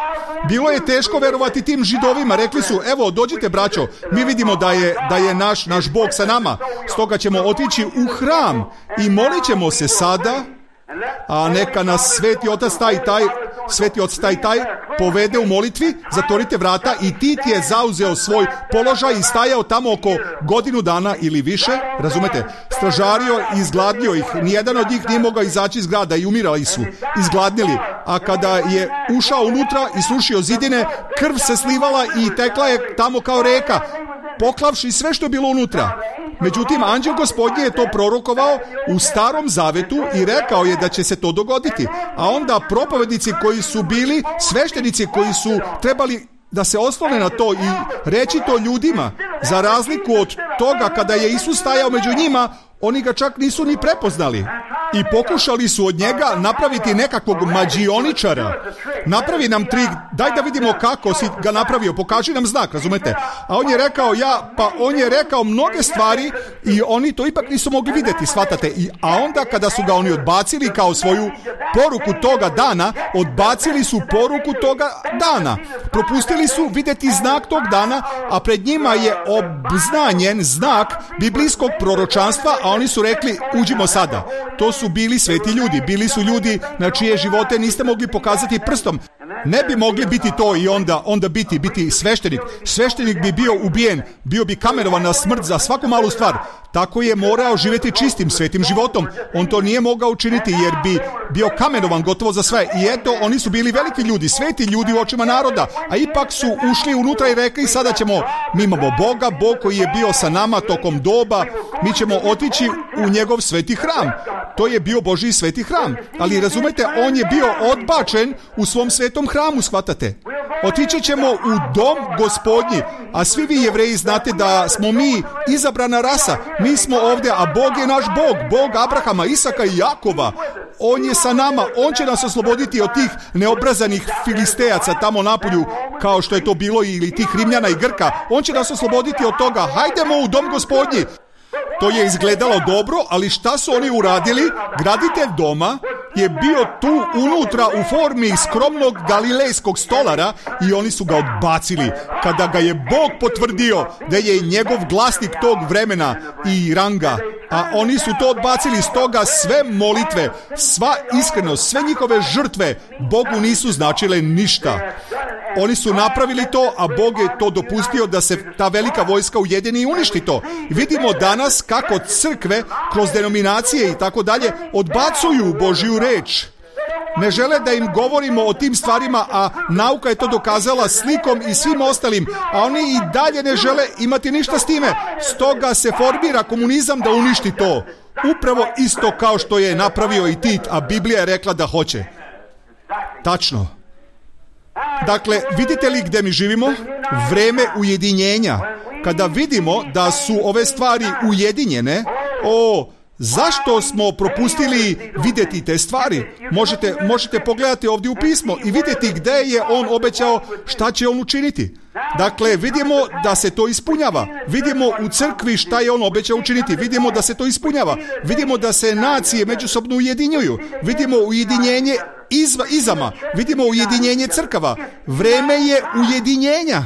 Bilo je teško verovati tim Židovima. Rekli su, evo, dođite braćo, mi vidimo da je, da je naš, naš Bog sa nama. Stoga ćemo otići u hram i molit ćemo se sada, a neka nas Sveti Otac taj taj, Sveti Otac taj taj povede u molitvi, zatvorite vrata. I Tit je zauzeo svoj položaj i stajao tamo oko godinu dana ili više, razumete, stražario i izgladnio ih. Nijedan od njih nije mogao izaći iz grada i umirali su, izgladnili. A kada je ušao unutra i srušio zidine, krv se slivala i tekla je tamo kao reka, poklavši sve što je bilo unutra. Međutim, anđel Gospodnji je to prorokovao u Starom Zavetu i rekao je da će se to dogoditi. A onda propovednici koji su bili, sveštenici koji su trebali da se oslone na to i reći to ljudima, za razliku od toga kada je Isus stajao među njima, oni ga čak nisu ni prepoznali. I pokušali su od njega napraviti nekakvog mađioničara. Napravi nam trik, daj da vidimo kako si ga napravio, pokaži nam znak, razumete? A on je rekao, ja, pa on je rekao mnoge stvari i oni to ipak nisu mogli vidjeti, shvatate? I, a onda kada su ga oni odbacili kao svoju poruku toga dana, odbacili su poruku toga dana. Propustili su vidjeti znak tog dana, a pred njima je obznanjen znak biblijskog proročanstva, a oni su rekli, uđimo sada. To su bili sveti ljudi, bili su ljudi na čije živote niste mogli pokazati prstom. Ne bi mogli biti to i onda, onda biti, biti sveštenik. Sveštenik bi bio ubijen, bio bi kamenovan na smrt za svaku malu stvar. Tako je morao živjeti čistim, svetim životom. On to nije mogao učiniti jer bi bio kamenovan gotovo za sve. I eto, oni su bili veliki ljudi, sveti ljudi u očima naroda, a ipak su ušli unutra i rekli, sada ćemo, mi imamo Boga, Bog koji je bio sa nama tokom doba, mi ćemo otići u njegov sveti hram. To je bio Božji sveti hram. Ali razumete, on je bio odbačen u svom svetom hramu, shvatate? Otići ćemo u dom Gospodnji, a svi vi Jevreji znate da smo mi izabrana rasa. Mi smo ovdje, a Bog je naš Bog, Bog Abrahama, Isaka i Jakova. On je sa nama, on će nas osloboditi od tih neobrazanih filistejaca tamo napolju, kao što je to bilo, ili tih Rimljana i Grka. On će nas osloboditi od toga. Hajdemo u dom Gospodnji. To je izgledalo dobro, ali šta su oni uradili? Graditelj doma je bio tu unutra u formi skromnog galilejskog stolara i oni su ga odbacili. Kada ga je Bog potvrdio da je njegov glasnik tog vremena i ranga, a oni su to odbacili, stoga sve molitve, sva iskrenost, sve njihove žrtve Bogu nisu značile ništa. Oni su napravili to, a Bog je to dopustio da se ta velika vojska ujedini i uništi to. Vidimo danas kako crkve kroz denominacije i tako dalje odbacuju Božju reč. ne žele da im govorimo o tim stvarima, a nauka je to dokazala slikom i svim ostalim, a oni i dalje ne žele imati ništa s time. Stoga se formira komunizam da uništi to. Upravo isto kao što je napravio i Tit, a Biblija je rekla da hoće. Tačno. Dakle, vidite li gdje mi živimo? Vreme ujedinjenja. Kada vidimo da su ove stvari ujedinjene, o, zašto smo propustili vidjeti te stvari? Možete, možete pogledati ovdje u pismo i vidjeti gdje je on obećao šta će on učiniti. Dakle, vidimo da se to ispunjava. Vidimo u crkvi šta je on obećao učiniti. Vidimo da se to ispunjava. Vidimo da se nacije međusobno ujedinjuju. Vidimo ujedinjenje izva, izama. Vidimo ujedinjenje crkava. Vreme je ujedinjenja.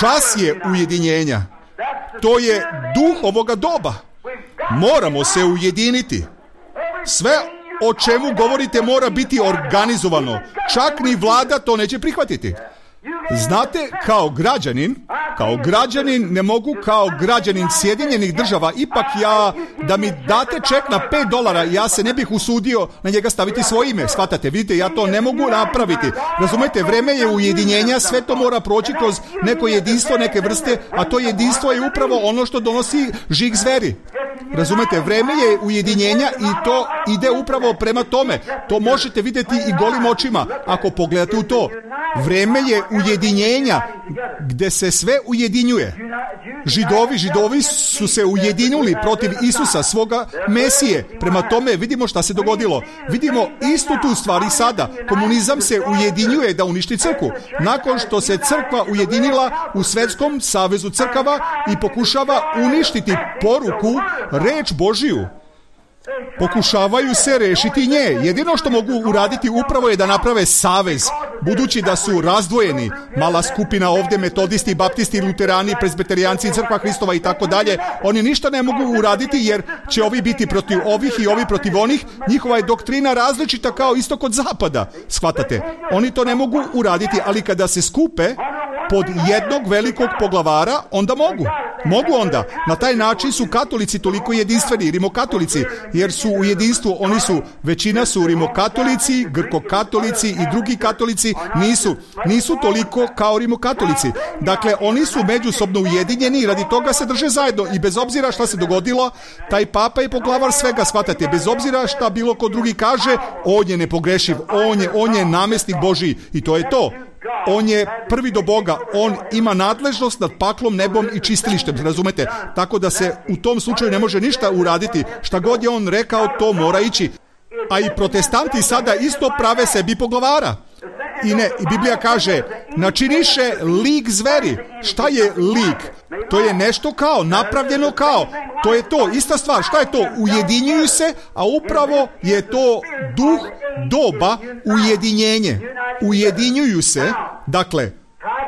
Čas je ujedinjenja. To je duh ovoga doba. Moramo se ujediniti. Sve o čemu govorite mora biti organizovano. Čak ni vlada to neće prihvatiti. Znate, kao građanin, kao građanin ne mogu kao građanin Sjedinjenih država, ipak ja, da mi date ček na pet dolara, ja se ne bih usudio na njega staviti svoje ime. Shvatate, vidite, ja to ne mogu napraviti. Razumete, vreme je ujedinjenja, sve to mora proći kroz neko jedinstvo, neke vrste, a to jedinstvo je upravo ono što donosi žig zveri. Razumete, vreme je ujedinjenja i to ide upravo prema tome. To možete vidjeti i golim očima ako pogledate u to. Vreme je ujedinjenja gdje se sve ujedinjuje. Židovi, židovi su se ujedinili protiv Isusa, svoga Mesije. Prema tome vidimo šta se dogodilo. Vidimo istu tu stvar i sada. Komunizam se ujedinjuje da uništi crkvu. Nakon što se crkva ujedinila u Svjetskom savezu crkava i pokušava uništiti poruku, reč Božiju. Pokušavaju se rešiti nje. Jedino što mogu uraditi upravo je da naprave savez, budući da su razdvojeni. Mala skupina ovdje, metodisti, baptisti, luterani, prezbeterijanci, crkva Hristova i tako dalje. Oni ništa ne mogu uraditi jer će ovi biti protiv ovih i ovi protiv onih. Njihova je doktrina različita kao istok od zapada. Shvatate? Oni to ne mogu uraditi, ali kada se skupe pod jednog velikog poglavara, onda mogu. Mogu onda. Na taj način su katolici toliko jedinstveni, rimokatolici, jer su u jedinstvu, oni su, većina su rimokatolici, grkokatolici i drugi katolici nisu, nisu toliko kao rimokatolici. Dakle, oni su međusobno ujedinjeni i radi toga se drže zajedno i bez obzira šta se dogodilo, taj papa je poglavar svega, shvatate, bez obzira šta bilo ko drugi kaže, on je nepogrešiv, on je, on je namjesnik Božiji i to je to. On je prvi do Boga, on ima nadležnost nad paklom, nebom i čistilištem, razumete? Tako da se u tom slučaju ne može ništa uraditi. Šta god je on rekao, to mora ići. A i protestanti sada isto prave sebi poglavara. I ne, i Biblija kaže, načiniše lik zveri. Šta je lik? To je nešto kao, napravljeno kao. To je to, ista stvar. Šta je to? Ujedinjuju se, a upravo je to duh doba, ujedinjenje. Ujedinjuju se, dakle,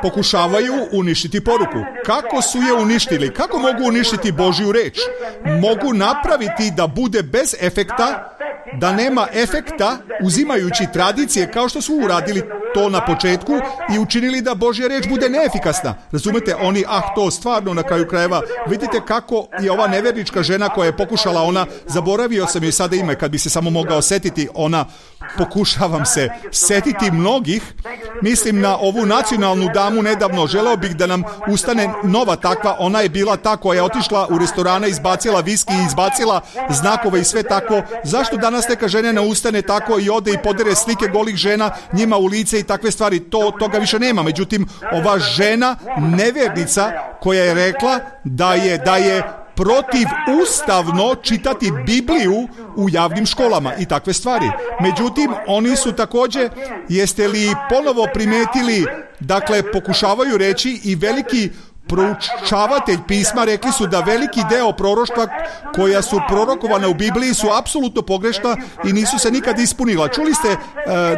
pokušavaju uništiti poruku. Kako su je uništili? Kako mogu uništiti Božju reč? Mogu napraviti da bude bez efekta, da nema efekta, uzimajući tradicije kao što su uradili to na početku i učinili da Božja reč bude neefikasna. Razumete, oni, ah, to stvarno na kraju krajeva. Vidite kako je ova nevernička žena koja je pokušala, ona, zaboravio sam joj sada ime, kad bi se samo mogao setiti, ona, pokušavam se setiti mnogih, mislim na ovu nacionalnu damu nedavno, želeo bih da nam ustane nova takva, ona je bila ta koja je otišla u restorane, izbacila viski i izbacila znakove i sve tako. Zašto danas neka žena ne ustane tako i ode i podere slike golih žena njima u lice i takve stvari? To, toga više nema. Međutim, ova žena, nevernica, koja je rekla da je, da je protiv ustavno čitati Bibliju u javnim školama i takve stvari. Međutim, oni su također, jeste li ponovo primetili, dakle, pokušavaju reći i veliki proučavatelj pisma rekli su da veliki deo proroštva koja su prorokovana u Bibliji su apsolutno pogrešna i nisu se nikad ispunila. Čuli ste e,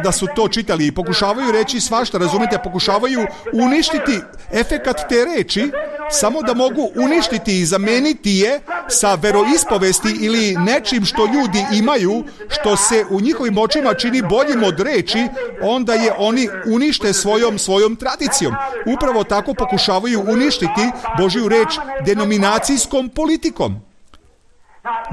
da su to čitali i pokušavaju reći svašta, razumete, pokušavaju uništiti efekat te reči samo da mogu uništiti i zameniti je sa veroispovesti ili nečim što ljudi imaju, što se u njihovim očima čini boljim od reči, onda je oni unište svojom svojom tradicijom. Upravo tako pokušavaju uništiti Božju reč denominacijskom politikom.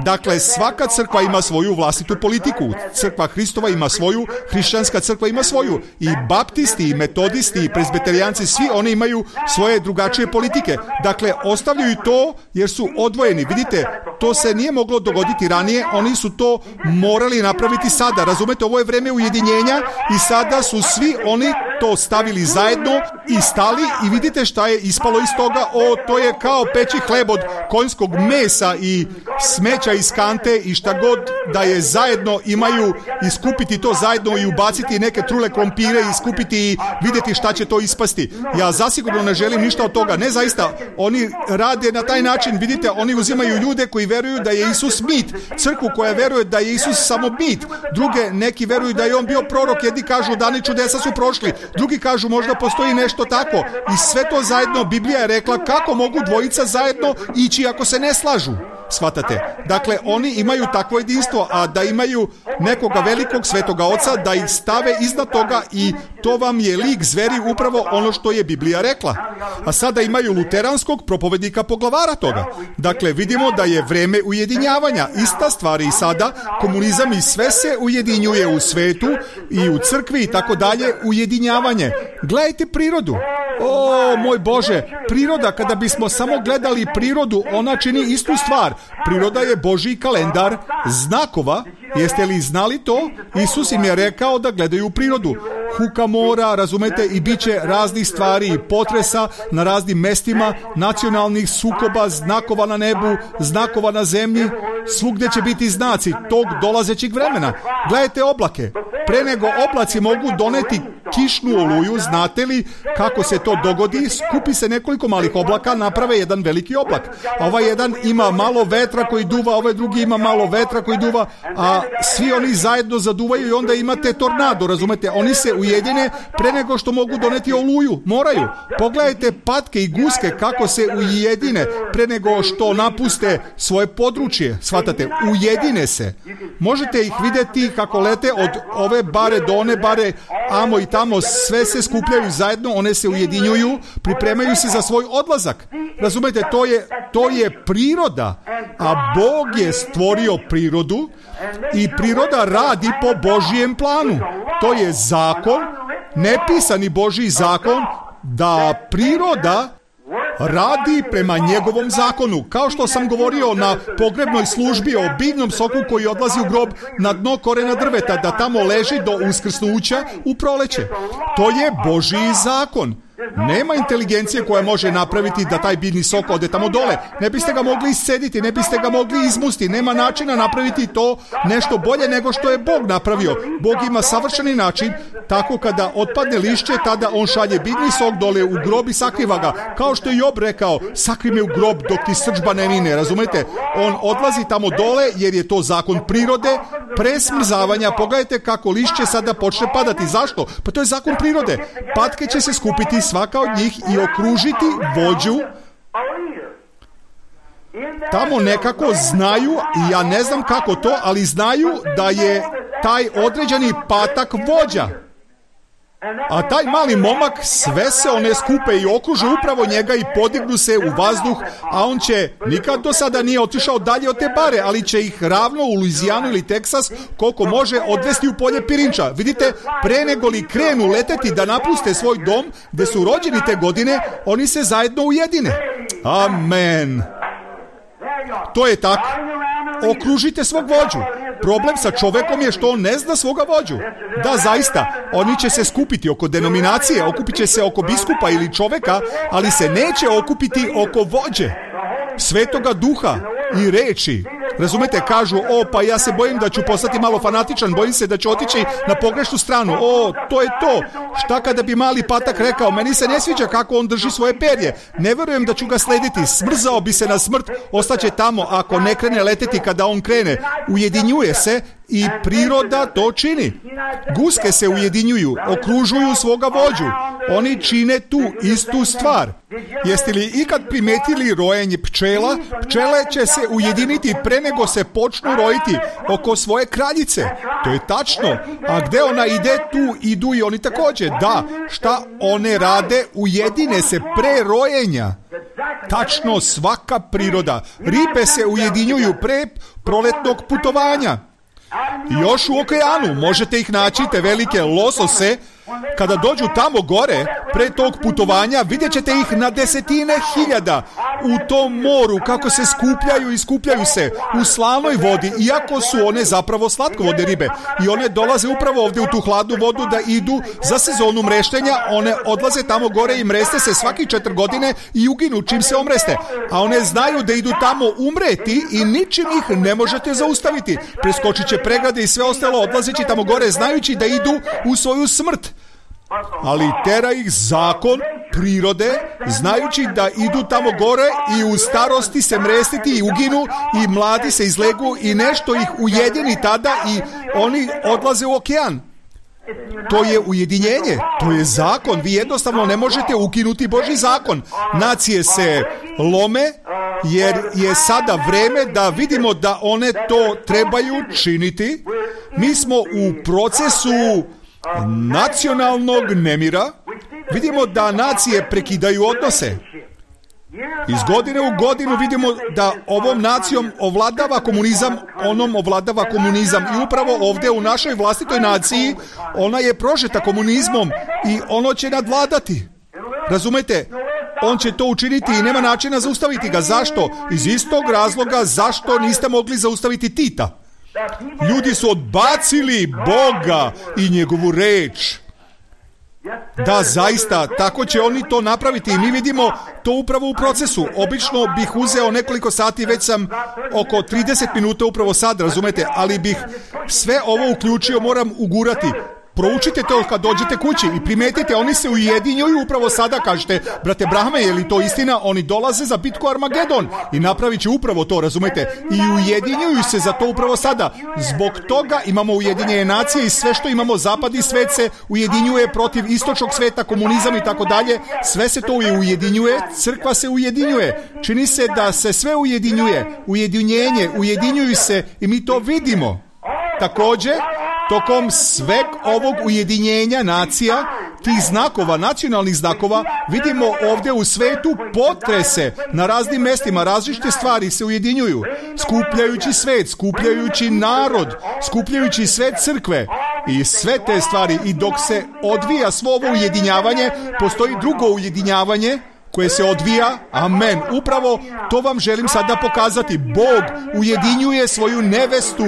Dakle, svaka crkva ima svoju vlastitu politiku. Crkva Hristova ima svoju, hrišćanska crkva ima svoju. I baptisti, i metodisti, i prezbeterijanci, svi oni imaju svoje drugačije politike. Dakle, ostavljaju to jer su odvojeni. Vidite, to se nije moglo dogoditi ranije, oni su to morali napraviti sada. Razumete, ovo je vreme ujedinjenja i sada su svi oni to stavili zajedno i stali i vidite šta je ispalo iz toga. O, to je kao peći hleb od konjskog mesa i smeća iz kante i šta god da je zajedno imaju, iskupiti to zajedno i ubaciti neke trule krompire i iskupiti i vidjeti šta će to ispasti. Ja zasigurno ne želim ništa od toga. Ne, zaista, oni rade na taj način. Vidite, oni uzimaju ljude koji veruju da je Isus mit, crkvu koja veruje da je Isus samo mit. Druge, neki veruju da je on bio prorok, jedni kažu dani čudesa su prošli, drugi kažu možda postoji nešto tako. I sve to zajedno, Biblija je rekla kako mogu dvojica zajedno ići ako se ne slažu. Shvatate? Dakle, oni imaju takvo jedinstvo, a da imaju nekoga velikog svetoga oca, da ih stave iznad toga i to vam je lik zveri upravo ono što je Biblija rekla. A sada imaju luteranskog propovednika poglavara toga. Dakle, vidimo da je vreme ujedinjavanja. Ista stvar i sada, komunizam i sve se ujedinjuje u svetu i u crkvi i tako dalje, ujedinjavanje. Gledajte prirodu. O, moj Bože, priroda, kada bismo samo gledali prirodu, ona čini istu stvar. Priroda je Božji kalendar znakova. Jeste li znali to? Isus im je rekao da gledaju prirodu. Huka mora, razumete, i bit će raznih stvari i potresa na raznim mestima, nacionalnih sukoba, znakova na nebu, znakova na zemlji. Svugdje će biti znaci tog dolazećeg vremena. Gledajte oblake. Pre nego oblaci mogu doneti kišnu oluju, znate li kako se to dogodi? Skupi se nekoliko malih oblaka, naprave jedan veliki oblak. A ovaj jedan ima malo vetra koji duva, ovaj drugi ima malo vetra koji duva, a svi oni zajedno zaduvaju i onda imate tornado, razumete? Oni se ujedine pre nego što mogu doneti oluju. Moraju. Pogledajte patke i guske kako se ujedine pre nego što napuste svoje područje. Shvatate? Ujedine se. Možete ih vidjeti kako lete od ove bare do one bare, amo i tamo, sve se skupljaju zajedno, one se ujedinjuju, pripremaju se za svoj odlazak. Razumete, to je, to je priroda, a Bog je stvorio prirodu i priroda radi po Božijem planu. To je zakon, nepisani Božji zakon, da priroda radi prema njegovom zakonu. Kao što sam govorio na pogrebnoj službi o biljnom soku koji odlazi u grob na dno korena drveta, da tamo leži do uskrsnuća u proleće. To je Božji zakon. Nema inteligencije koja može napraviti da taj biljni sok ode tamo dole. Ne biste ga mogli iscediti, ne biste ga mogli izmusti. Nema načina napraviti to nešto bolje nego što je Bog napravio. Bog ima savršeni način, tako kada otpadne lišće, tada on šalje biljni sok dole u grob i sakriva ga. Kao što je Job rekao, sakri me u grob dok ti srdžba ne mine, razumete? On odlazi tamo dole jer je to zakon prirode, pre smrzavanja. Pogledajte kako lišće sada počne padati. Zašto? Pa to je zakon prirode. Patke će se skupiti, svaka od njih, i okružiti vođu. Tamo nekako znaju, i ja ne znam kako to, ali znaju da je taj određeni patak vođa. A taj mali momak, sve se one skupe i okruže upravo njega i podignu se u vazduh, a on će, nikad do sada nije otišao dalje od te bare, ali će ih ravno u Luizijanu ili Teksas, koliko može, odvesti u polje pirinča. Vidite, pre nego li krenu leteti da napuste svoj dom, gde su rođeni te godine, oni se zajedno ujedine. Amen. To je tako. Okružite svog vođu. Problem sa čovekom je što on ne zna svoga vođu. Da, zaista, oni će se skupiti oko denominacije, okupit će se oko biskupa ili čoveka, ali se neće okupiti oko vođe, Svetoga Duha i reči. Razumete, kažu, o, pa ja se bojim da ću postati malo fanatičan, bojim se da ću otići na pogrešnu stranu. O, to je to. Šta kada bi mali patak rekao, meni se ne sviđa kako on drži svoje perje, ne verujem da ću ga slediti, smrzao bi se na smrt, ostaće tamo ako ne krene leteti kada on krene. Ujedinjuje se i priroda to čini. Guske se ujedinjuju, okružuju svoga vođu. Oni čine tu istu stvar. Jeste li ikad primetili rojenje pčela? Pčele će se ujediniti pre nego se počnu rojiti oko svoje kraljice. To je tačno. A gde ona ide, tu idu i oni također. Da, šta one rade? Ujedine se pre rojenja. Tačno, svaka priroda. Ribe se ujedinjuju pre proletnog putovanja. Još u okeanu možete ih naći, te velike losose. Kada dođu tamo gore, pre tog putovanja, vidjet ćete ih na desetine hiljada u tom moru, kako se skupljaju i skupljaju se u slanoj vodi, iako su one zapravo slatkovodne ribe. I one dolaze upravo ovdje u tu hladnu vodu da idu za sezonu mreštenja. One odlaze tamo gore i mreste se svaki četiri godine i uginu čim se omreste. A one znaju da idu tamo umreti i ničim ih ne možete zaustaviti. Preskočit će pregrade i sve ostalo, odlazeći tamo gore, znajući da idu u svoju smrt. Ali tera ih zakon prirode, znajući da idu tamo gore i u starosti se mrestiti i uginu i mladi se izlegu i nešto ih ujedini tada i oni odlaze u okean. To je ujedinjenje, to je zakon. Vi jednostavno ne možete ukinuti Božji zakon. Nacije se lome jer je sada vreme da vidimo da one to trebaju činiti. Mi smo u procesu nacionalnog nemira. Vidimo da nacije prekidaju odnose. Iz godine u godinu vidimo da ovom nacijom ovladava komunizam, onom ovladava komunizam. I upravo ovdje u našoj vlastitoj naciji ona je prožeta komunizmom i ono će nadvladati. Razumete? On će to učiniti i nema načina zaustaviti ga. Zašto? Iz istog razloga zašto niste mogli zaustaviti Tita. Ljudi su odbacili Boga i njegovu reč. Da, zaista, tako će oni to napraviti i mi vidimo to upravo u procesu. Obično bih uzeo nekoliko sati, već sam oko trideset minuta upravo sad, razumete, ali bih sve ovo uključio, moram ugurati. Proučite to kad dođete kući i primetite, oni se ujedinjuju upravo sada, kažete, brate Brahme, je li to istina? Oni dolaze za bitku Armagedon i napravit će upravo to, razumete? I ujedinjuju se za to upravo sada. Zbog toga imamo ujedinjenje nacije i sve što imamo, zapadni svet se ujedinjuje protiv istočnog sveta, komunizam i tako dalje. Sve se to ujedinjuje, crkva se ujedinjuje. Čini se da se sve ujedinjuje, ujedinjenje, ujedinjuju se i mi to vidimo. Također, tokom sveg ovog ujedinjenja nacija, tih znakova, nacionalnih znakova, vidimo ovdje u svetu potrese na raznim mjestima, različite stvari se ujedinjuju, skupljajući svet, skupljajući narod, skupljajući sve crkve i sve te stvari. I dok se odvija svo ovo ujedinjavanje, postoji drugo ujedinjavanje koje se odvija, amen. Upravo to vam želim sada pokazati. Bog ujedinjuje svoju nevestu.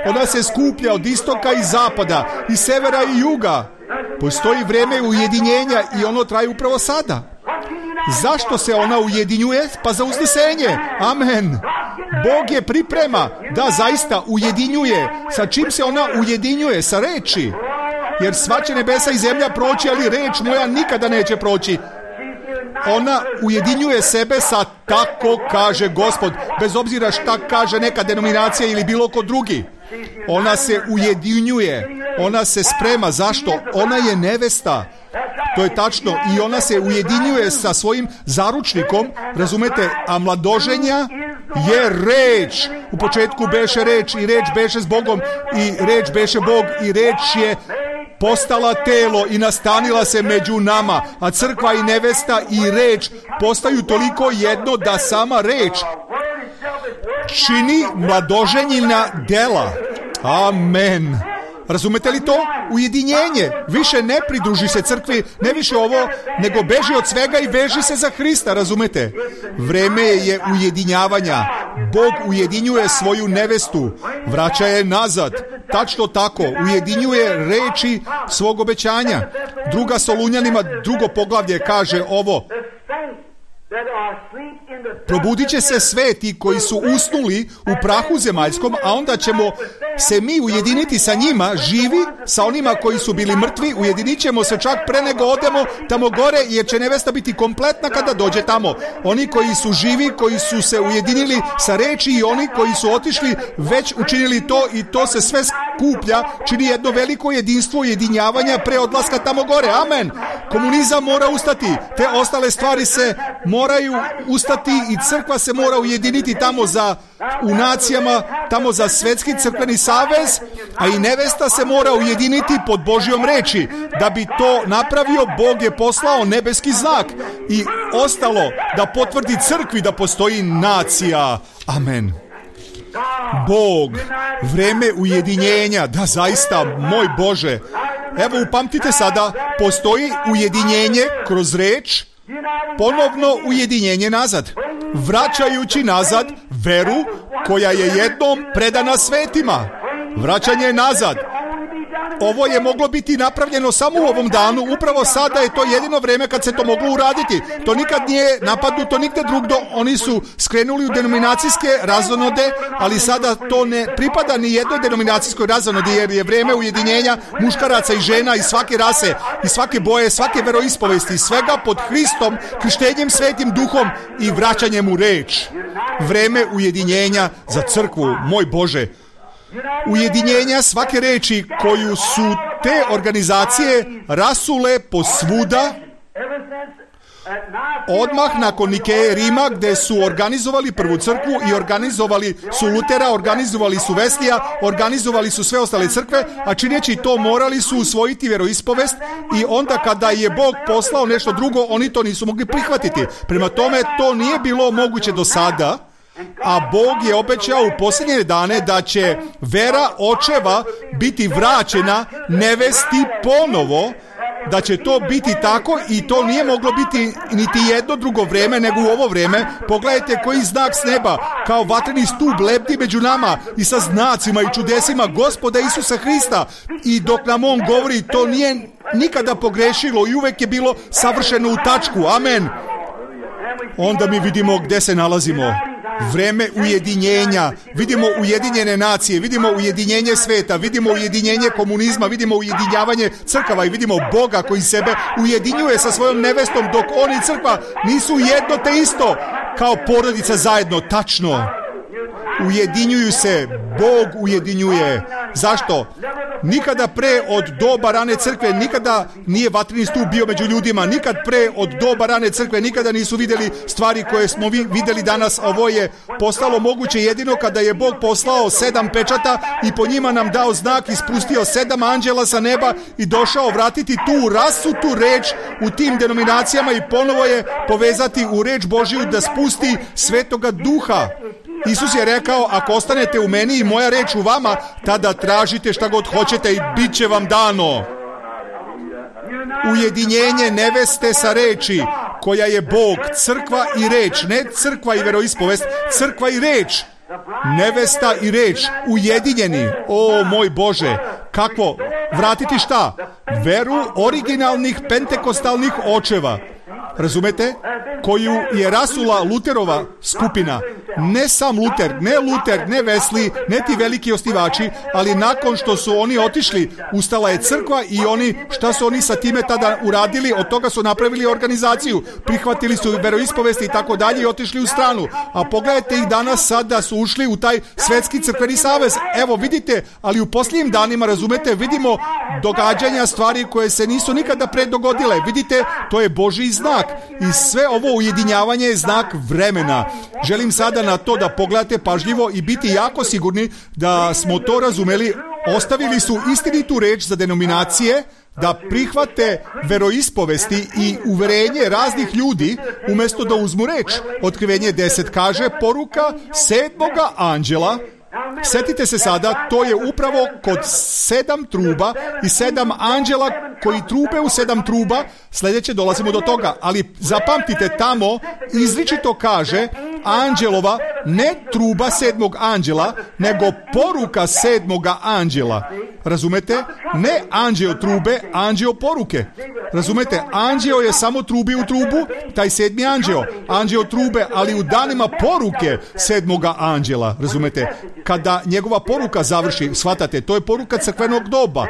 Ona se skuplja od istoka i zapada, i severa i juga. Postoji vrijeme ujedinjenja i ono traje upravo sada. Zašto se ona ujedinjuje? Pa za uznesenje. Amen. Bog je priprema da zaista ujedinjuje. Sa čim se ona ujedinjuje? Sa reči. Jer sva će nebesa i zemlja proći, ali reč moja nikada neće proći. Ona ujedinjuje sebe sa tako kaže Gospod, bez obzira šta kaže neka denominacija ili bilo ko drugi. Ona se ujedinjuje, ona se sprema. Zašto? Ona je nevesta. To je tačno. I ona se ujedinjuje sa svojim zaručnikom, razumete, a mladoženja je reč. U početku beše reč i reč beše s Bogom i reč beše Bog i reč je postala telo i nastanila se među nama, a crkva i nevesta i reč postaju toliko jedno da sama reč čini mladoženjina dela. Amen. Razumete li to? Ujedinjenje. Više ne pridruži se crkvi, ne više ovo, nego beži od svega i veži se za Hrista, razumete? Vreme je ujedinjavanja. Bog ujedinjuje svoju nevestu, vraća je nazad. Tačno tako, ujedinjuje reči svog obećanja. Druga Solunjanima, drugo poglavlje kaže ovo: probudit će se sveti koji su usnuli u prahu zemaljskom, a onda ćemo se mi ujediniti sa njima, živi, sa onima koji su bili mrtvi. Ujedinit ćemo se čak pre nego odemo tamo gore, jer će nevesta biti kompletna kada dođe tamo. Oni koji su živi, koji su se ujedinili sa reči, i oni koji su otišli, već učinili to, i to se sve skuplja, čini jedno veliko jedinstvo ujedinjavanja pre odlaska tamo gore. Amen. Komunizam mora ustati, te ostale stvari se moraju ustati i crkva se mora ujediniti tamo za u nacijama tamo za Svetski crkveni savez, a i nevesta se mora ujediniti pod Božjom reči. Da bi to napravio, Bog je poslao nebeski znak i ostalo da potvrdi crkvi da postoji nacija. Amen. Bog, vreme ujedinjenja, da zaista, moj Bože. Evo, upamtite sada, postoji ujedinjenje kroz reč, ponovno ujedinjenje nazad, vraćajući nazad veru koja je jednom predana svetima. Vraćanje nazad. Ovo je moglo biti napravljeno samo u ovom danu, upravo sada je to jedino vreme kad se to moglo uraditi. To nikad nije napadnuto nigde drugdo, oni su skrenuli u denominacijske razonode, ali sada to ne pripada ni jednoj denominacijskoj razonodi, jer je vreme ujedinjenja muškaraca i žena i svake rase, i svake boje, svake veroispovesti, svega pod Hristom, krštenjem Svetim Duhom i vraćanjem u reč. Vreme ujedinjenja za crkvu, moj Bože. Ujedinjenja svake reči koju su te organizacije rasule posvuda odmah nakon Nikeje Rima, gde su organizovali prvu crkvu i organizovali su Lutera, organizovali su Veslija, organizovali su sve ostale crkve, a čineći to morali su usvojiti vjeroispovest i onda kada je Bog poslao nešto drugo, oni to nisu mogli prihvatiti. Prema tome, to nije bilo moguće do sada. A Bog je obećao u posljednje dane da će vera očeva biti vraćena nevesti ponovo, da će to biti tako i to nije moglo biti niti jedno drugo vreme nego u ovo vreme. Pogledajte koji znak s neba, kao vatreni stup lebdi među nama i sa znacima i čudesima Gospoda Isusa Hrista. I dok nam On govori, to nije nikada pogrešilo i uvek je bilo savršeno u tačku. Amen. Onda mi vidimo gde se nalazimo. Vreme ujedinjenja, vidimo ujedinjene nacije, vidimo ujedinjenje sveta, vidimo ujedinjenje komunizma, vidimo ujedinjavanje crkava i vidimo Boga koji sebe ujedinjuje sa svojom nevestom, dok on i crkva nisu jedno te isto, kao porodica zajedno, tačno. Ujedinjuju se, Bog ujedinjuje. Zašto? Nikada pre od doba rane crkve, nikada nije vatreni stup bio među ljudima, nikad pre od doba rane crkve, nikada nisu vidjeli stvari koje smo vi vidjeli danas. Ovo je postalo moguće jedino kada je Bog poslao sedam pečata i po njima nam dao znak, ispustio sedam anđela sa neba i došao vratiti tu rasutu reč u tim denominacijama i ponovo je povezati u reč Božiju da spusti Svetoga Duha. Isus je rekao, ako ostanete u meni i moja reč u vama, tada tražite šta god hoćete i bit će vam dano. Ujedinjenje neveste sa reči, koja je Bog, crkva i reč, ne crkva i veroispovest, crkva i reč. Nevesta i reč, ujedinjeni. O moj Bože, kako? Vratiti šta? Veru originalnih pentekostalnih očeva. Razumete? Koju je rasula Luterova skupina. Ne sam Luter, ne Luter, ne Wesley, ne ti veliki osnivači, ali nakon što su oni otišli, ustala je crkva i oni, šta su oni sa time tada uradili? Od toga su napravili organizaciju, prihvatili su veroispovesti i tako dalje i otišli u stranu. A pogledajte ih danas sada su ušli u taj Svetski crkveni savez. Evo vidite, ali u posljednjim danima, razumete, vidimo događanja, stvari koje se nisu nikada pre dogodile. Vidite, to je Božji znak. I sve ovo ujedinjavanje je znak vremena. Želim sada na to da pogledate pažljivo i biti jako sigurni da smo to razumeli. Ostavili su istinitu reč za denominacije da prihvate veroispovesti i uverenje raznih ljudi umjesto da uzmu reč. Otkrivenje deset kaže poruka sedmoga anđela. Sjetite se sada, to je upravo kod sedam truba i sedam anđela koji trube u sedam truba. Sljedeće dolazimo do toga, ali zapamtite, tamo izričito kaže anđelova, ne truba sedmog anđela, nego poruka sedmoga anđela. Razumete? Ne anđeo trube, anđeo poruke. Razumete? Anđeo je samo trubi u trubu, taj sedmi anđeo. Anđeo trube, ali u danima poruke sedmoga anđela. Razumete? Kada njegova poruka završi, shvatate, to je poruka crkvenog doba.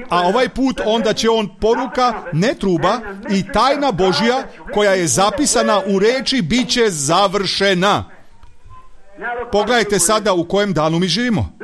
A ovaj put onda će on poruka, ne truba, i tajna Božja koja je zapisana u reči bit će završena. Pogledajte sada u kojem danu mi živimo.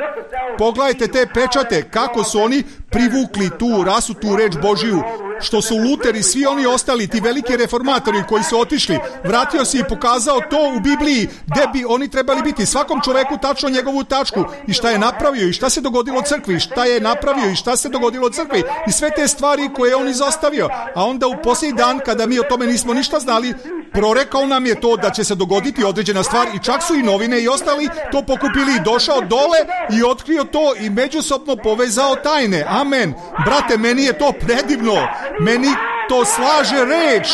Pogledajte te pečate, kako su oni privukli tu rasutu reč Božiju, što su Luteri, svi oni ostali, ti veliki reformatori koji su otišli, vratio se i pokazao to u Bibliji gde bi oni trebali biti, svakom čoveku tačno njegovu tačku i šta je napravio i šta se dogodilo crkvi, šta je napravio i šta se dogodilo crkvi i sve te stvari koje je on izostavio. A onda u posljednji dan, kada mi o tome nismo ništa znali, prorekao nam je to da će se dogoditi određena stvar i čak su i novine i ostali to pokupili i došao dole i otkrio to i međusobno povezao tajne. Amen. Brate, meni je to predivno. Meni to slaže reč.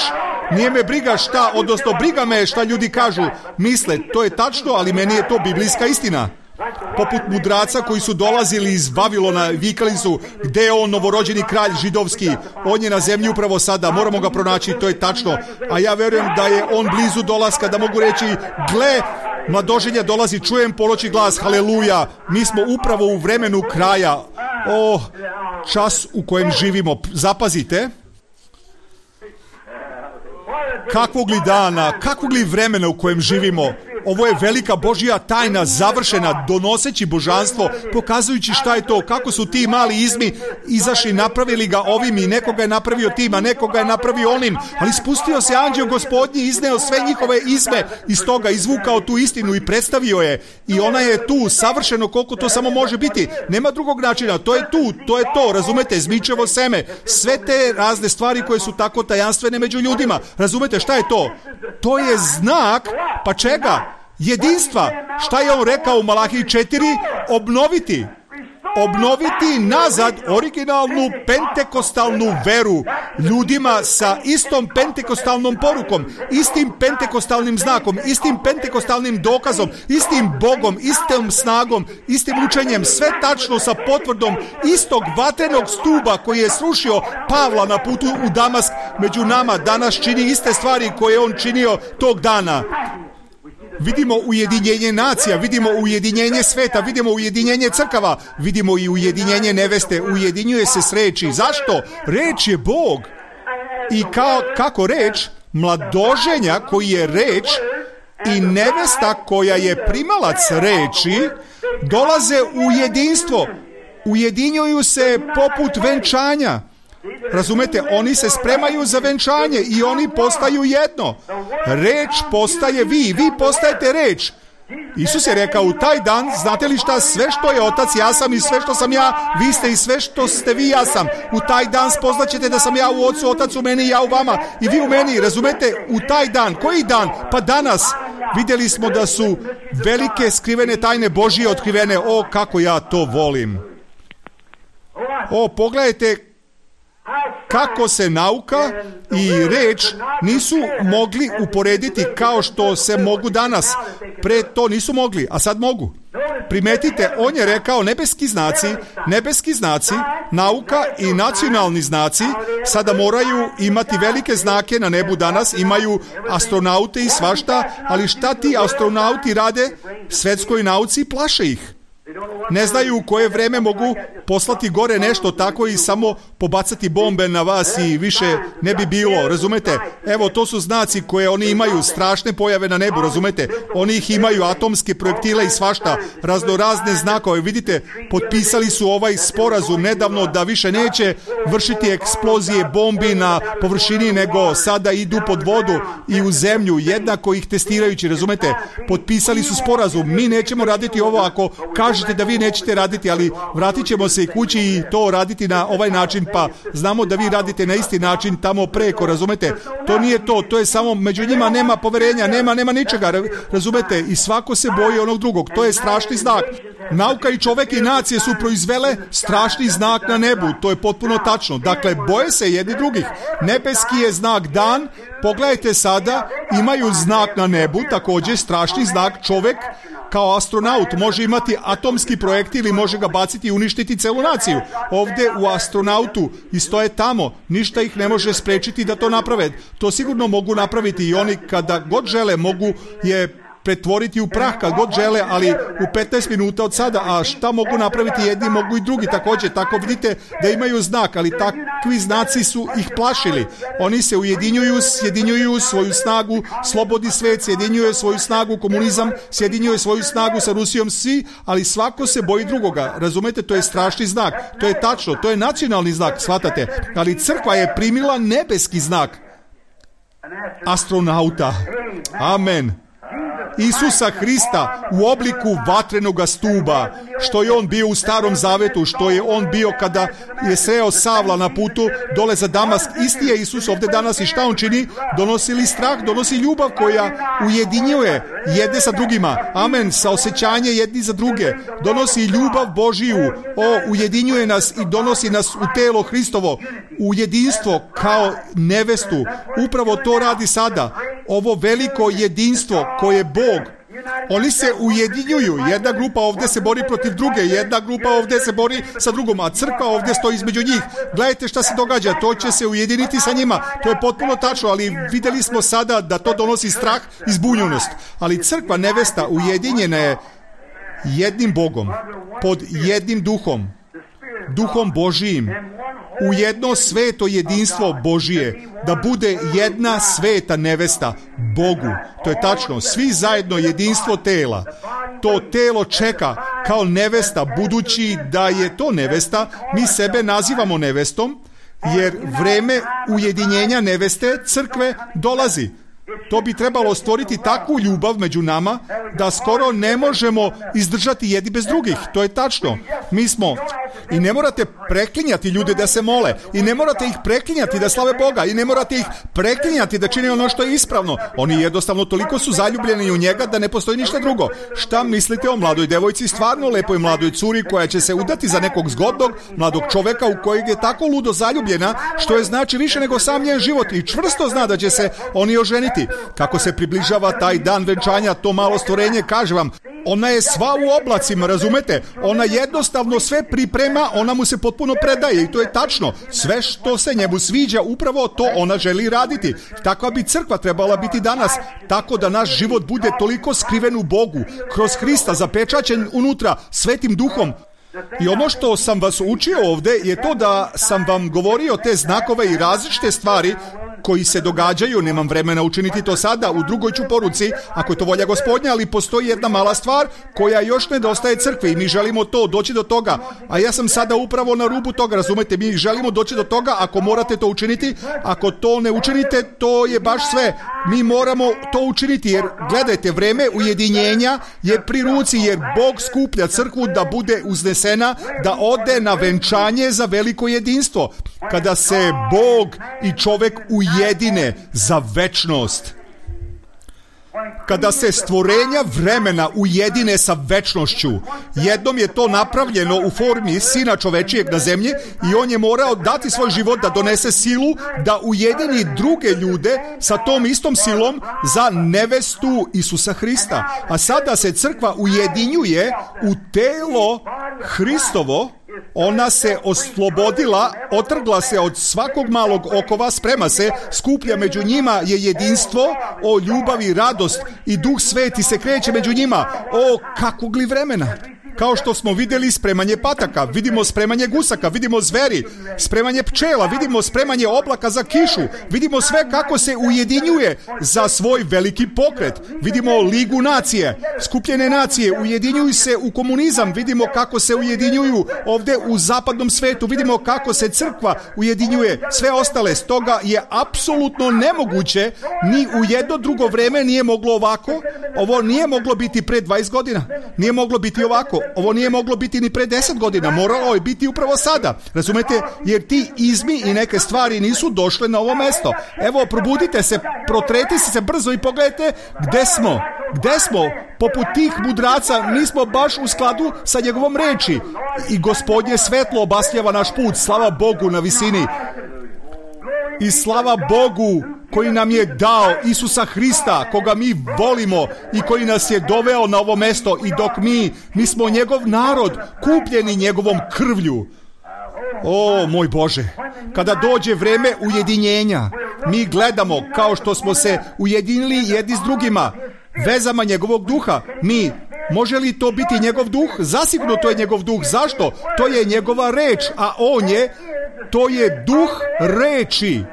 Nije me briga šta, odnosno briga me šta ljudi kažu, misle, to je tačno, ali meni je to biblijska istina. Poput mudraca koji su dolazili iz Vavilona, vikali su, gde je on, novorođeni kralj židovski, on je na zemlji upravo sada, moramo ga pronaći, to je tačno. A ja verujem da je on blizu dolaska, da mogu reći, gle, mladoženja dolazi, čujem poloči glas, haleluja, mi smo upravo u vremenu kraja. O, čas u kojem živimo, zapazite. Kakvog li dana, kakvog li vremena u kojem živimo. Ovo je velika Božja tajna, završena, donoseći božanstvo, pokazujući šta je to, kako su ti mali izmi izašli, napravili ga ovim i nekoga je napravio tim, a nekoga je napravio onim, ali spustio se anđeo Gospodnji, izneo sve njihove izme, iz toga izvukao tu istinu i predstavio je i ona je tu, savršeno koliko to samo može biti, nema drugog načina, to je tu, to je to, razumete, zmičevo seme, sve te razne stvari koje su tako tajanstvene među ljudima, razumete, šta je to? To je znak, pa čega? Jedinstva. Šta je on rekao u Malahiji četiri? Obnoviti. Obnoviti nazad originalnu pentekostalnu veru ljudima sa istom pentekostalnom porukom, istim pentekostalnim znakom, istim pentekostalnim dokazom, istim Bogom, istom snagom, istim učenjem, sve tačno sa potvrdom istog vatrenog stuba koji je srušio Pavla na putu u Damask. Među nama danas čini iste stvari koje je on činio tog dana. Vidimo ujedinjenje nacija, vidimo ujedinjenje sveta, vidimo ujedinjenje crkava, vidimo i ujedinjenje neveste, ujedinjuje se s reči. Zašto? Reč je Bog. I kao, kako reč? Mladoženja koji je reč i nevesta koja je primalac reči dolaze u jedinstvo. Ujedinjuju se poput venčanja. Razumete, oni se spremaju za venčanje i oni postaju jedno. Reč postaje vi, vi postajete reč. Isus je rekao u taj dan, znate li šta, sve što je Otac ja sam i sve što sam ja, vi ste i sve što ste vi ja sam. U taj dan spoznaćete da sam ja u Ocu, Otac u meni i ja u vama i vi u meni, razumete, u taj dan. Koji dan? Pa danas. Vidjeli smo da su velike skrivene tajne Božije otkrivene. O, kako ja to volim. O, pogledajte kako se nauka i reč nisu mogli uporediti kao što se mogu danas. Pre to nisu mogli, a sad mogu. Primetite, on je rekao nebeski znaci, nebeski znaci, nauka i nacionalni znaci sada moraju imati velike znake na nebu danas, imaju astronaute i svašta, ali šta ti astronauti rade svetskoj nauci? Plaše ih. Ne znaju u koje vreme mogu poslati gore nešto tako i samo pobacati bombe na vas i više ne bi bilo, razumete? Evo, to su znaci koje oni imaju, strašne pojave na nebu, razumete? Oni ih imaju, atomske projektile i svašta, raznorazne znakove. Vidite, potpisali su ovaj sporazum nedavno da više neće vršiti eksplozije bombi na površini, nego sada idu pod vodu i u zemlju, jednako ih testirajući, razumete? Potpisali su sporazum, mi nećemo raditi ovo ako kažete da vi nećete raditi, ali vratit ćemo se i kući i to raditi na ovaj način, pa znamo da vi radite na isti način tamo preko, razumete? To nije to, to je samo, među njima nema poverenja, nema, nema ničega, razumete? I svako se boji onog drugog, to je strašni znak. Nauka i čovek i nacije su proizvele strašni znak na nebu, to je potpuno tačno. Dakle, boje se jedni drugih. Nebeski je znak dan, pogledajte sada, imaju znak na nebu, također strašni znak, čovek kao astronaut može imati atomski projekt ili može ga baciti i uništiti celu naciju. Ovdje u astronautu i stoje tamo, ništa ih ne može sprečiti da to naprave. To sigurno mogu napraviti i oni kada god žele mogu je pretvoriti u prah kad god žele, ali u petnaest minuta od sada. A šta mogu napraviti jedni, mogu i drugi također. Tako vidite da imaju znak, ali takvi znaci su ih plašili. Oni se ujedinjuju, sjedinjuju svoju snagu, slobodni svet, sjedinjuje svoju snagu, komunizam, sjedinjuje svoju snagu sa Rusijom, svi, ali svako se boji drugoga. Razumete, to je strašni znak. To je tačno, to je nacionalni znak, shvatate. Ali crkva je primila nebeski znak astronauta. Amen. Isusa Hrista u obliku vatrenoga stuba, što je on bio u Starom Zavetu, što je on bio kada je sreo Savla na putu dole za Damask. Isti je Isus ovdje danas i šta on čini? Donosi li strah, donosi ljubav koja ujedinjuje jedne sa drugima. Amen, sa osjećanje jedni za druge. Donosi ljubav Božiju, o, ujedinjuje nas i donosi nas u telo Hristovo, u jedinstvo kao nevestu. Upravo to radi sada. Ovo veliko jedinstvo koje Bog, oni se ujedinjuju. Jedna grupa ovdje se bori protiv druge, jedna grupa ovdje se bori sa drugom, a crkva ovdje stoji između njih. Gledajte šta se događa, to će se ujediniti sa njima. To je potpuno tačno, ali vidjeli smo sada da to donosi strah i zbunjenost. Ali crkva nevesta ujedinjena je jednim Bogom, pod jednim duhom, duhom Božijim, u jedno sveto jedinstvo Božije, da bude jedna sveta nevesta Bogu. To je tačno, svi zajedno jedinstvo tela. To telo čeka kao nevesta, budući da je to nevesta, mi sebe nazivamo nevestom, jer vreme ujedinjenja neveste crkve dolazi. To bi trebalo stvoriti takvu ljubav među nama da skoro ne možemo izdržati jedni bez drugih. To je tačno. Mi smo, i ne morate preklinjati ljude da se mole, i ne morate ih preklinjati da slave Boga, i ne morate ih preklinjati da čine ono što je ispravno. Oni jednostavno toliko su zaljubljeni u njega da ne postoji ništa drugo. Šta mislite o mladoj devojci, stvarno lepoj mladoj curi koja će se udati za nekog zgodnog mladog čoveka u kojeg je tako ludo zaljubljena, što je znači više nego sam njen život, i čvrsto zna da će se oni oženiti. Kako se približava taj dan venčanja, to malo stvorenje, kaže vam, ona je sva u oblacima, razumete? Ona jednostavno sve priprema, ona mu se potpuno predaje, i to je tačno. Sve što se njemu sviđa, upravo to ona želi raditi. Takva bi crkva trebala biti danas, tako da naš život bude toliko skriven u Bogu, kroz Hrista, zapečaćen unutra svetim duhom. I ono što sam vas učio ovdje je to da sam vam govorio te znakove i različite stvari koji se događaju. Nemam vremena učiniti to sada, u drugoj ću poruci, ako je to volja Gospodnja, ali postoji jedna mala stvar koja još nedostaje crkvi i mi želimo to, doći do toga. A ja sam sada upravo na rubu toga, razumete, mi želimo doći do toga, ako morate to učiniti, ako to ne učinite, to je baš sve. Mi moramo to učiniti, jer gledajte, vreme ujedinjenja je pri ruci, jer Bog skuplja crkvu da bude uznesena, da ode na venčanje za veliko jedinstvo. Kada se Bog i čovjek ujedine za večnost. Kada se stvorenja vremena ujedine sa večnošću, jednom je to napravljeno u formi Sina čovečijeg na zemlji i on je morao dati svoj život da donese silu, da ujedini druge ljude sa tom istom silom za nevestu Isusa Hrista. A sada se crkva ujedinjuje u telo Hristovo. Ona se oslobodila, otrgla se od svakog malog okova, sprema se, skuplja među njima je jedinstvo, o ljubavi, radost, i Duh Sveti se kreće među njima. O, kakvog li vremena! Kao što smo vidjeli spremanje pataka, vidimo spremanje gusaka, vidimo zveri, spremanje pčela, vidimo spremanje oblaka za kišu, vidimo sve kako se ujedinjuje za svoj veliki pokret. Vidimo ligu nacije, skupljene nacije, ujedinjuju se u komunizam, vidimo kako se ujedinjuju ovdje u zapadnom svetu, vidimo kako se crkva ujedinjuje, sve ostale. Stoga je apsolutno nemoguće, ni u jedno drugo vreme nije moglo ovako, ovo nije moglo biti pre dvadeset godina, nije moglo biti ovako. Ovo nije moglo biti ni pre deset godina, moralo je biti upravo sada. Razumete? Jer ti izmi i neke stvari nisu došle na ovo mesto. Evo, probudite se, protreti se brzo i pogledajte gde smo. Gde smo? Poput tih mudraca nismo baš u skladu sa njegovom reči. I Gospodnje svetlo obasljava naš put. Slava Bogu na visini. I slava Bogu koji nam je dao Isusa Hrista, koga mi volimo i koji nas je doveo na ovo mesto, i dok mi, mi smo njegov narod, kupljeni njegovom krvlju. O, moj Bože, kada dođe vreme ujedinjenja, mi gledamo kao što smo se ujedinili jedni s drugima. vezama njegovog duha. Mi, može li to biti njegov duh? Zasigurno to je njegov duh. Zašto? To je njegova reč, a on je, to je duh reči.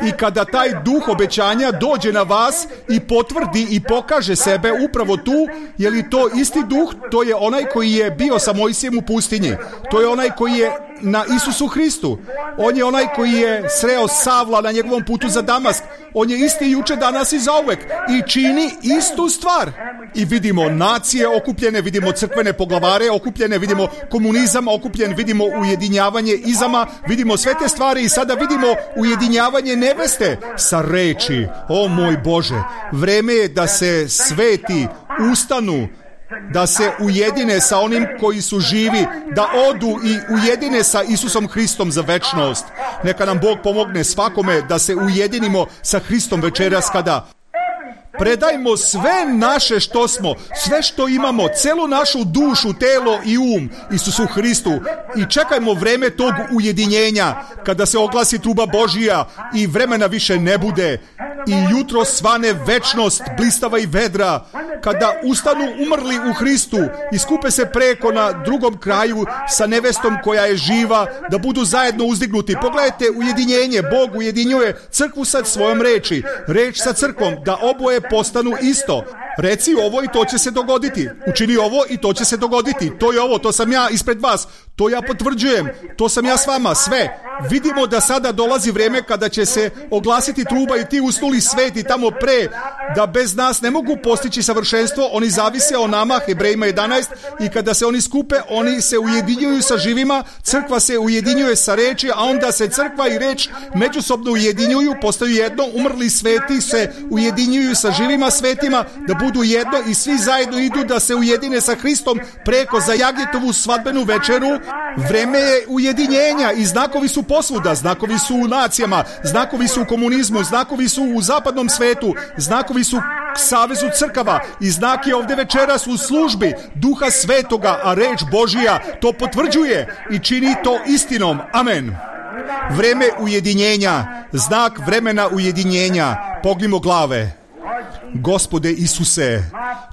I kada taj duh obećanja dođe na vas i potvrdi i pokaže sebe upravo tu, je li to isti duh? To je onaj koji je bio sa Mojsijem u pustinji. To je onaj koji je na Isusu Hristu. On je onaj koji je sreo Savla na njegovom putu za Damask. On je isti juče, danas i zauvek i čini istu stvar. I vidimo nacije okupljene, vidimo crkvene poglavare okupljene, vidimo komunizam okupljen, vidimo ujedinjavanje izama, vidimo sve te stvari i sada vidimo ujedinjavanje neveste sa reči. O moj Bože, vreme je da se sveti ustanu, da se ujedine sa onim koji su živi, da odu i ujedine sa Isusom Hristom za večnost. Neka nam Bog pomogne svakome da se ujedinimo sa Hristom večeras kada predajmo sve naše što smo, sve što imamo, celu našu dušu, telo i um Isusu Hristu i čekajmo vreme tog ujedinjenja kada se oglasi truba Božija i vremena više ne bude i jutro svane večnost blistava i vedra, kada ustanu umrli u Hristu i skupe se preko na drugom kraju sa nevestom koja je živa, da budu zajedno uzdignuti. Pogledajte ujedinjenje, Bog ujedinjuje crkvu sa svojom reči, reč sa crkvom, da oboje postanu isto. Reci ovo i to će se dogoditi. Učini ovo i to će se dogoditi. To je ovo, to sam ja ispred vas. To ja potvrđujem. To sam ja s vama, sve. Vidimo da sada dolazi vreme kada će se oglasiti truba i ti usnuli sveti tamo pre, da bez nas ne mogu postići savršenstvo. Oni zavise o nama, Hebrejima jedanaest, i kada se oni skupe, oni se ujedinjuju sa živima, crkva se ujedinjuje sa reči, a onda se crkva i reč međusobno ujedinjuju, postaju jedno, umrli sveti se ujedinjuju sa živima svetima, da budu jedno i svi zajedno idu da se ujedine sa Hristom preko za Jagnjetovu svadbenu večeru. Vreme je ujedinjenja i znakovi su posvuda, znakovi su u nacijama, znakovi su u komunizmu, znakovi su u zapadnom svetu, znakovi su savezu crkava i znak je ovde večeras u službi Duha Svetoga, a reč Božija to potvrđuje i čini to istinom. Amen. Vreme ujedinjenja, znak vremena ujedinjenja. Pognimo glave. Gospode Isuse,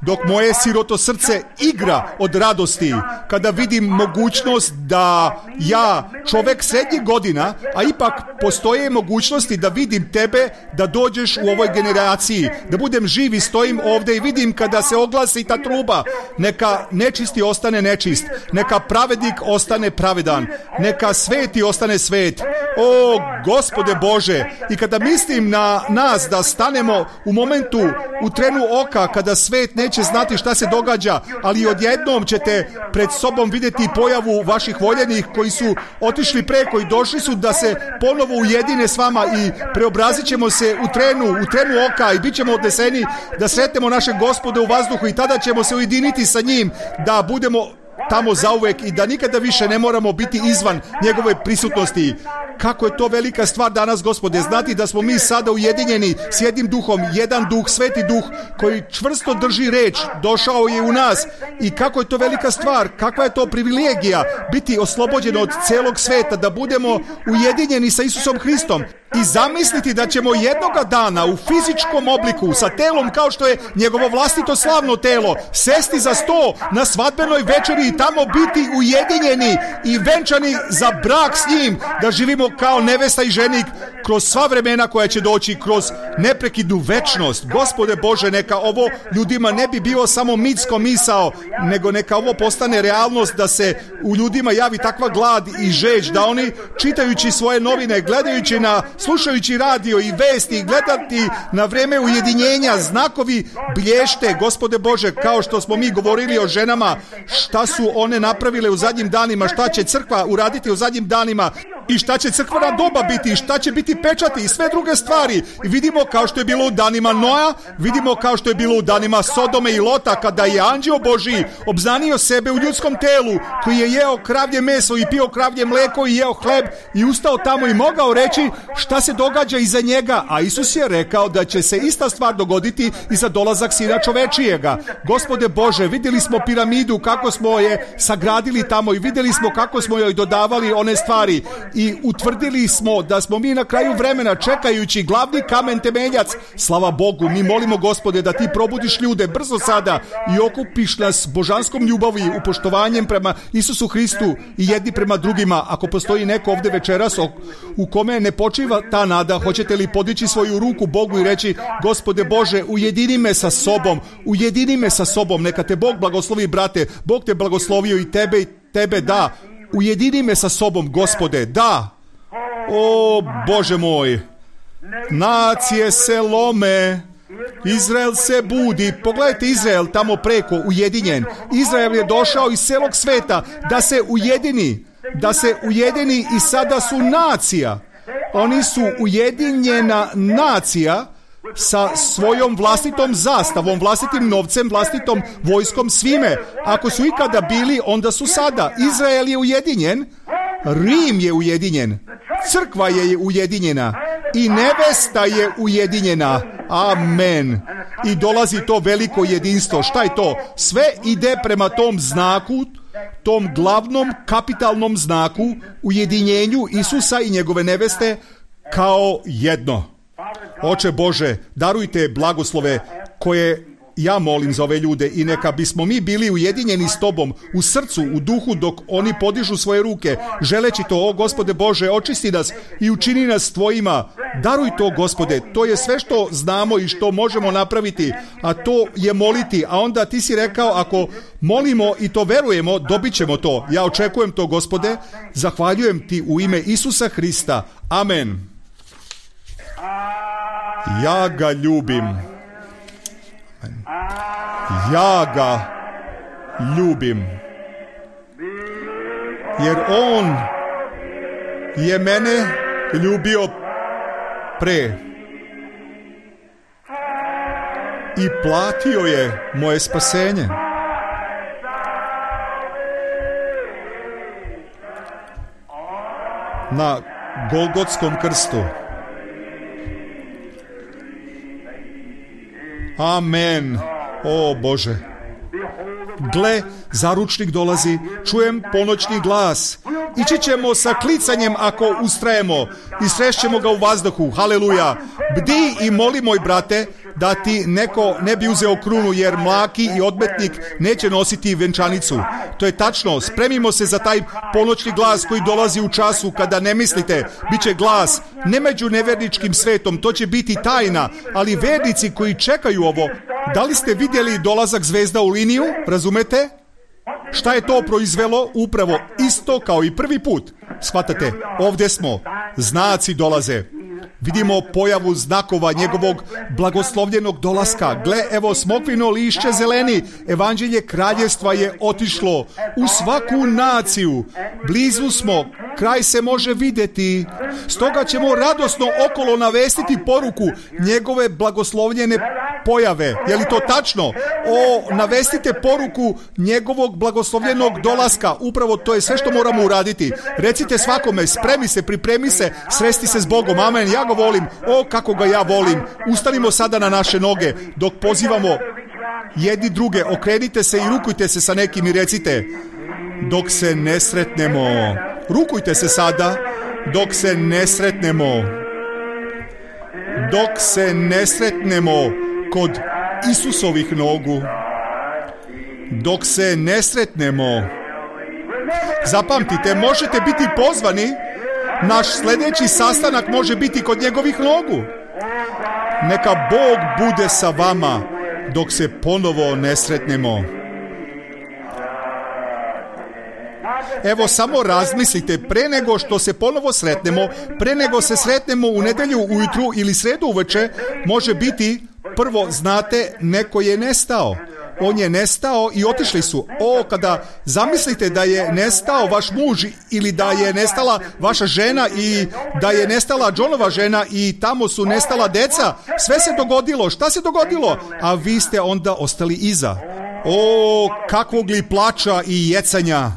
dok moje siroto srce igra od radosti kada vidim mogućnost da ja, čovek srednjih godina, a ipak postoje mogućnosti da vidim tebe, da dođeš u ovoj generaciji, da budem živ i stojim ovde i vidim kada se oglasi ta truba, neka nečisti ostane nečist, neka pravednik ostane pravedan, neka sveti ostane svet. O, Gospode Bože, i kada mislim na nas da stanemo u momentu, u trenu oka, kada svet neće znati šta se događa, ali odjednom ćete pred sobom vidjeti pojavu vaših voljenih koji su otišli preko i došli su da se ponovo ujedine s vama i preobrazit ćemo se u trenu, u trenu oka i bit ćemo odneseni da sretnemo našeg Gospoda u vazduhu i tada ćemo se ujediniti sa njim, da budemo tamo zauvek i da nikada više ne moramo biti izvan njegove prisutnosti. Kako je to velika stvar danas, Gospode, znati da smo mi sada ujedinjeni s jednim duhom, jedan duh, sveti duh koji čvrsto drži reč, došao je u nas i kako je to velika stvar, kakva je to privilegija biti oslobođen od celog sveta, da budemo ujedinjeni sa Isusom Hristom i zamisliti da ćemo jednoga dana u fizičkom obliku sa telom kao što je njegovo vlastito slavno telo sesti za sto na svadbenoj večeri i tamo biti ujedinjeni i venčani za brak s njim, da živimo kao nevesta i ženik kroz sva vremena koja će doći, kroz neprekidnu večnost. Gospode Bože, neka ovo ljudima ne bi bilo samo mitsko misao, nego neka ovo postane realnost, da se u ljudima javi takva glad i žeđ, da oni čitajući svoje novine, gledajući na, slušajući radio i vesti, gledati na vreme ujedinjenja, znakovi blješte, Gospode Bože, kao što smo mi govorili o ženama, šta su one napravile u zadnjim danima, šta će crkva uraditi u zadnjim danima i šta će crkvena doba biti, šta će biti pečati i sve druge stvari. I vidimo kao što je bilo u danima Noa, vidimo kao što je bilo u danima Sodome i Lota, kada je anđeo Božji obznanio sebe u ljudskom telu, koji je jeo kravlje meso i pio kravlje mleko i jeo hleb i ustao tamo i mogao reći šta se događa iza njega, a Isus je rekao da će se ista stvar dogoditi i za dolazak Sina čovečijega. Gospode Bože, vidjeli smo piramidu, kako smo je sagradili tamo i vidjeli smo kako smo joj dodavali one stvari i utvrdili smo da smo mi na kraju vremena čekajući glavni kamen temeljac. Slava Bogu, mi molimo Gospode da ti probudiš ljude brzo sada i okupiš nas božanskom ljubavi, upoštovanjem prema Isusu Hristu i jedni prema drugima. Ako postoji neko ovdje večeras u kome ne počiva ta nada, hoćete li podići svoju ruku Bogu i reći: Gospode Bože, ujedini me sa sobom, ujedini me sa sobom, neka te Bog blagoslovi, brate, Bog te blagoslovio i tebe i tebe, da, ujedini me sa sobom, Gospode, da. O Bože moj, nacije se lome, Izrael se budi. Pogledajte Izrael tamo preko, ujedinjen. Izrael je došao iz celog sveta da se ujedini, da se ujedini i sada su nacija. Oni su ujedinjena nacija sa svojom vlastitom zastavom, vlastitim novcem, vlastitom vojskom, svime. Ako su ikada bili, onda su sada. Izrael je ujedinjen, Rim je ujedinjen, crkva je ujedinjena i nevesta je ujedinjena. Amen. I dolazi to veliko jedinstvo. Šta je to? Sve ide prema tom znaku, tom glavnom kapitalnom znaku, ujedinjenju Isusa i njegove neveste kao jedno. Oče Bože, darujte blagoslove koje ja molim za ove ljude i neka bismo mi bili ujedinjeni s Tobom u srcu, u duhu, dok oni podižu svoje ruke, želeći to. O Gospode Bože, očisti nas i učini nas Tvojima. Daruj to, Gospode, to je sve što znamo i što možemo napraviti, a to je moliti. A onda Ti si rekao, ako molimo i to verujemo, dobit ćemo to. Ja očekujem to, Gospode, zahvaljujem Ti u ime Isusa Hrista. Amen. Ja ga ljubim. Ja ga ljubim. Jer on je mene ljubio pre i platio je moje spasenje. Na Golgotskom krstu. Amen. O Bože. Gle, zaručnik dolazi, čujem ponoćni glas. Ići ćemo sa klicanjem ako ustrajemo i srešćemo ga u vazduhu. Haleluja. Bdi i moli, moj brate, da ti neko ne bi uzeo krunu, jer mlaki i odmetnik neće nositi venčanicu. To je tačno. Spremimo se za taj ponoćni glas koji dolazi u času kada ne mislite. Biće glas ne među neverničkim svetom, to će biti tajna, ali vernici koji čekaju ovo. Da li ste vidjeli dolazak zvezda u liniju? Razumete? Šta je to proizvelo? Upravo isto kao i prvi put. Shvatate, ovdje smo. Znaci dolaze. Vidimo pojavu znakova njegovog blagoslovljenog dolaska. Gle, evo smokvino lišće zeleni. Evanđelje kraljevstva je otišlo u svaku naciju. Blizu smo. Kraj se može vidjeti. Stoga ćemo radosno okolo navestiti poruku njegove blagoslovljene pojave. Je li to tačno? O, navestite poruku njegovog blagoslovljenog dolaska. Upravo to je sve što moramo uraditi. Recite svakome, spremi se, pripremi se, sresti se s Bogom. Amen. Ja ga volim. O, kako ga ja volim. Ustanimo sada na naše noge dok pozivamo jedni druge. Okrenite se i rukujte se sa nekim i recite: dok se ne sretnemo. Rukujte se sada dok se ne sretnemo. Dok se ne sretnemo kod Isusovih nogu. Dok se ne sretnemo. Zapamtite, možete biti pozvani. Naš sljedeći sastanak može biti kod njegovih nogu. Neka Bog bude sa vama dok se ponovo ne sretnemo. Evo, samo razmislite, pre nego što se ponovo sretnemo, pre nego se sretnemo u nedjelju ujutru ili sredu uveče, može biti, prvo, znate, neko je nestao. On je nestao i otišli su. O, kada zamislite da je nestao vaš muž ili da je nestala vaša žena i da je nestala Johnova žena i tamo su nestala deca, sve se dogodilo. Šta se dogodilo? A vi ste onda ostali iza. O, kakvog li plača i jecanja.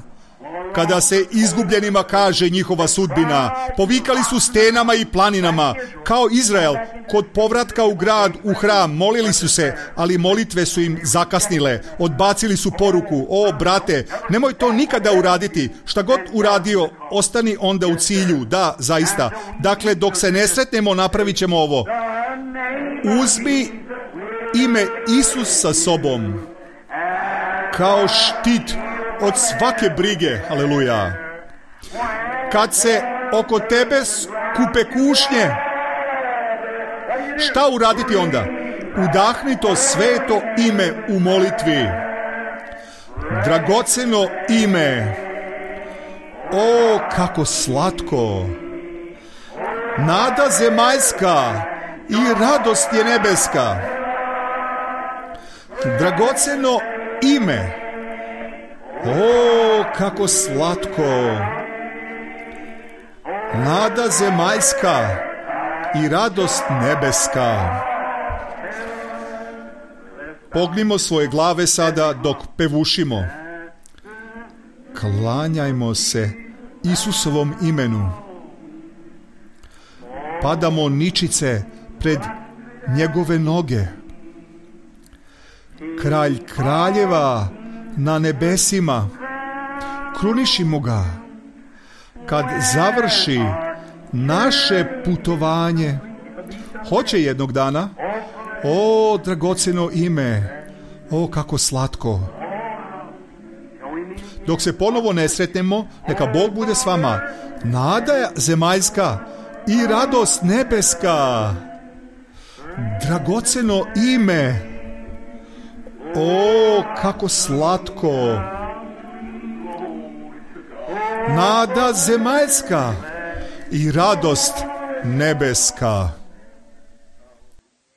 kada se izgubljenima kaže njihova sudbina. Povikali su stenama i planinama, kao Izrael, kod povratka u grad, u hram, molili su se, ali molitve su im zakasnile, odbacili su poruku. O, brate, nemoj to nikada uraditi, šta god uradio, ostani onda u cilju, da, zaista. Dakle, dok se ne sretnemo, napravit ćemo ovo. Uzmi ime Isus sa sobom, kao štit od svake brige, aleluja. Kad se oko tebe skupe kušnje, šta uraditi onda? Udahni to sveto ime u molitvi. Dragoceno ime. O, kako slatko. Nada zemaljska i radost je nebeska. Dragoceno ime. O, kako slatko. Nada zemaljska i radost nebeska. Pognimo svoje glave sada dok pevušimo. Klanjajmo se Isusovom imenu. Padamo ničice pred njegove noge. Kralj kraljeva na nebesima, krunišimo ga. Kad završi naše putovanje, hoće jednog dana. O, dragoceno ime, o, kako slatko. Dok se ponovo ne sretnemo, neka Bog bude s vama. Nada zemaljska i radost nebeska. Dragoceno ime. O, kako slatko. Nada zemaljska i radost nebeska.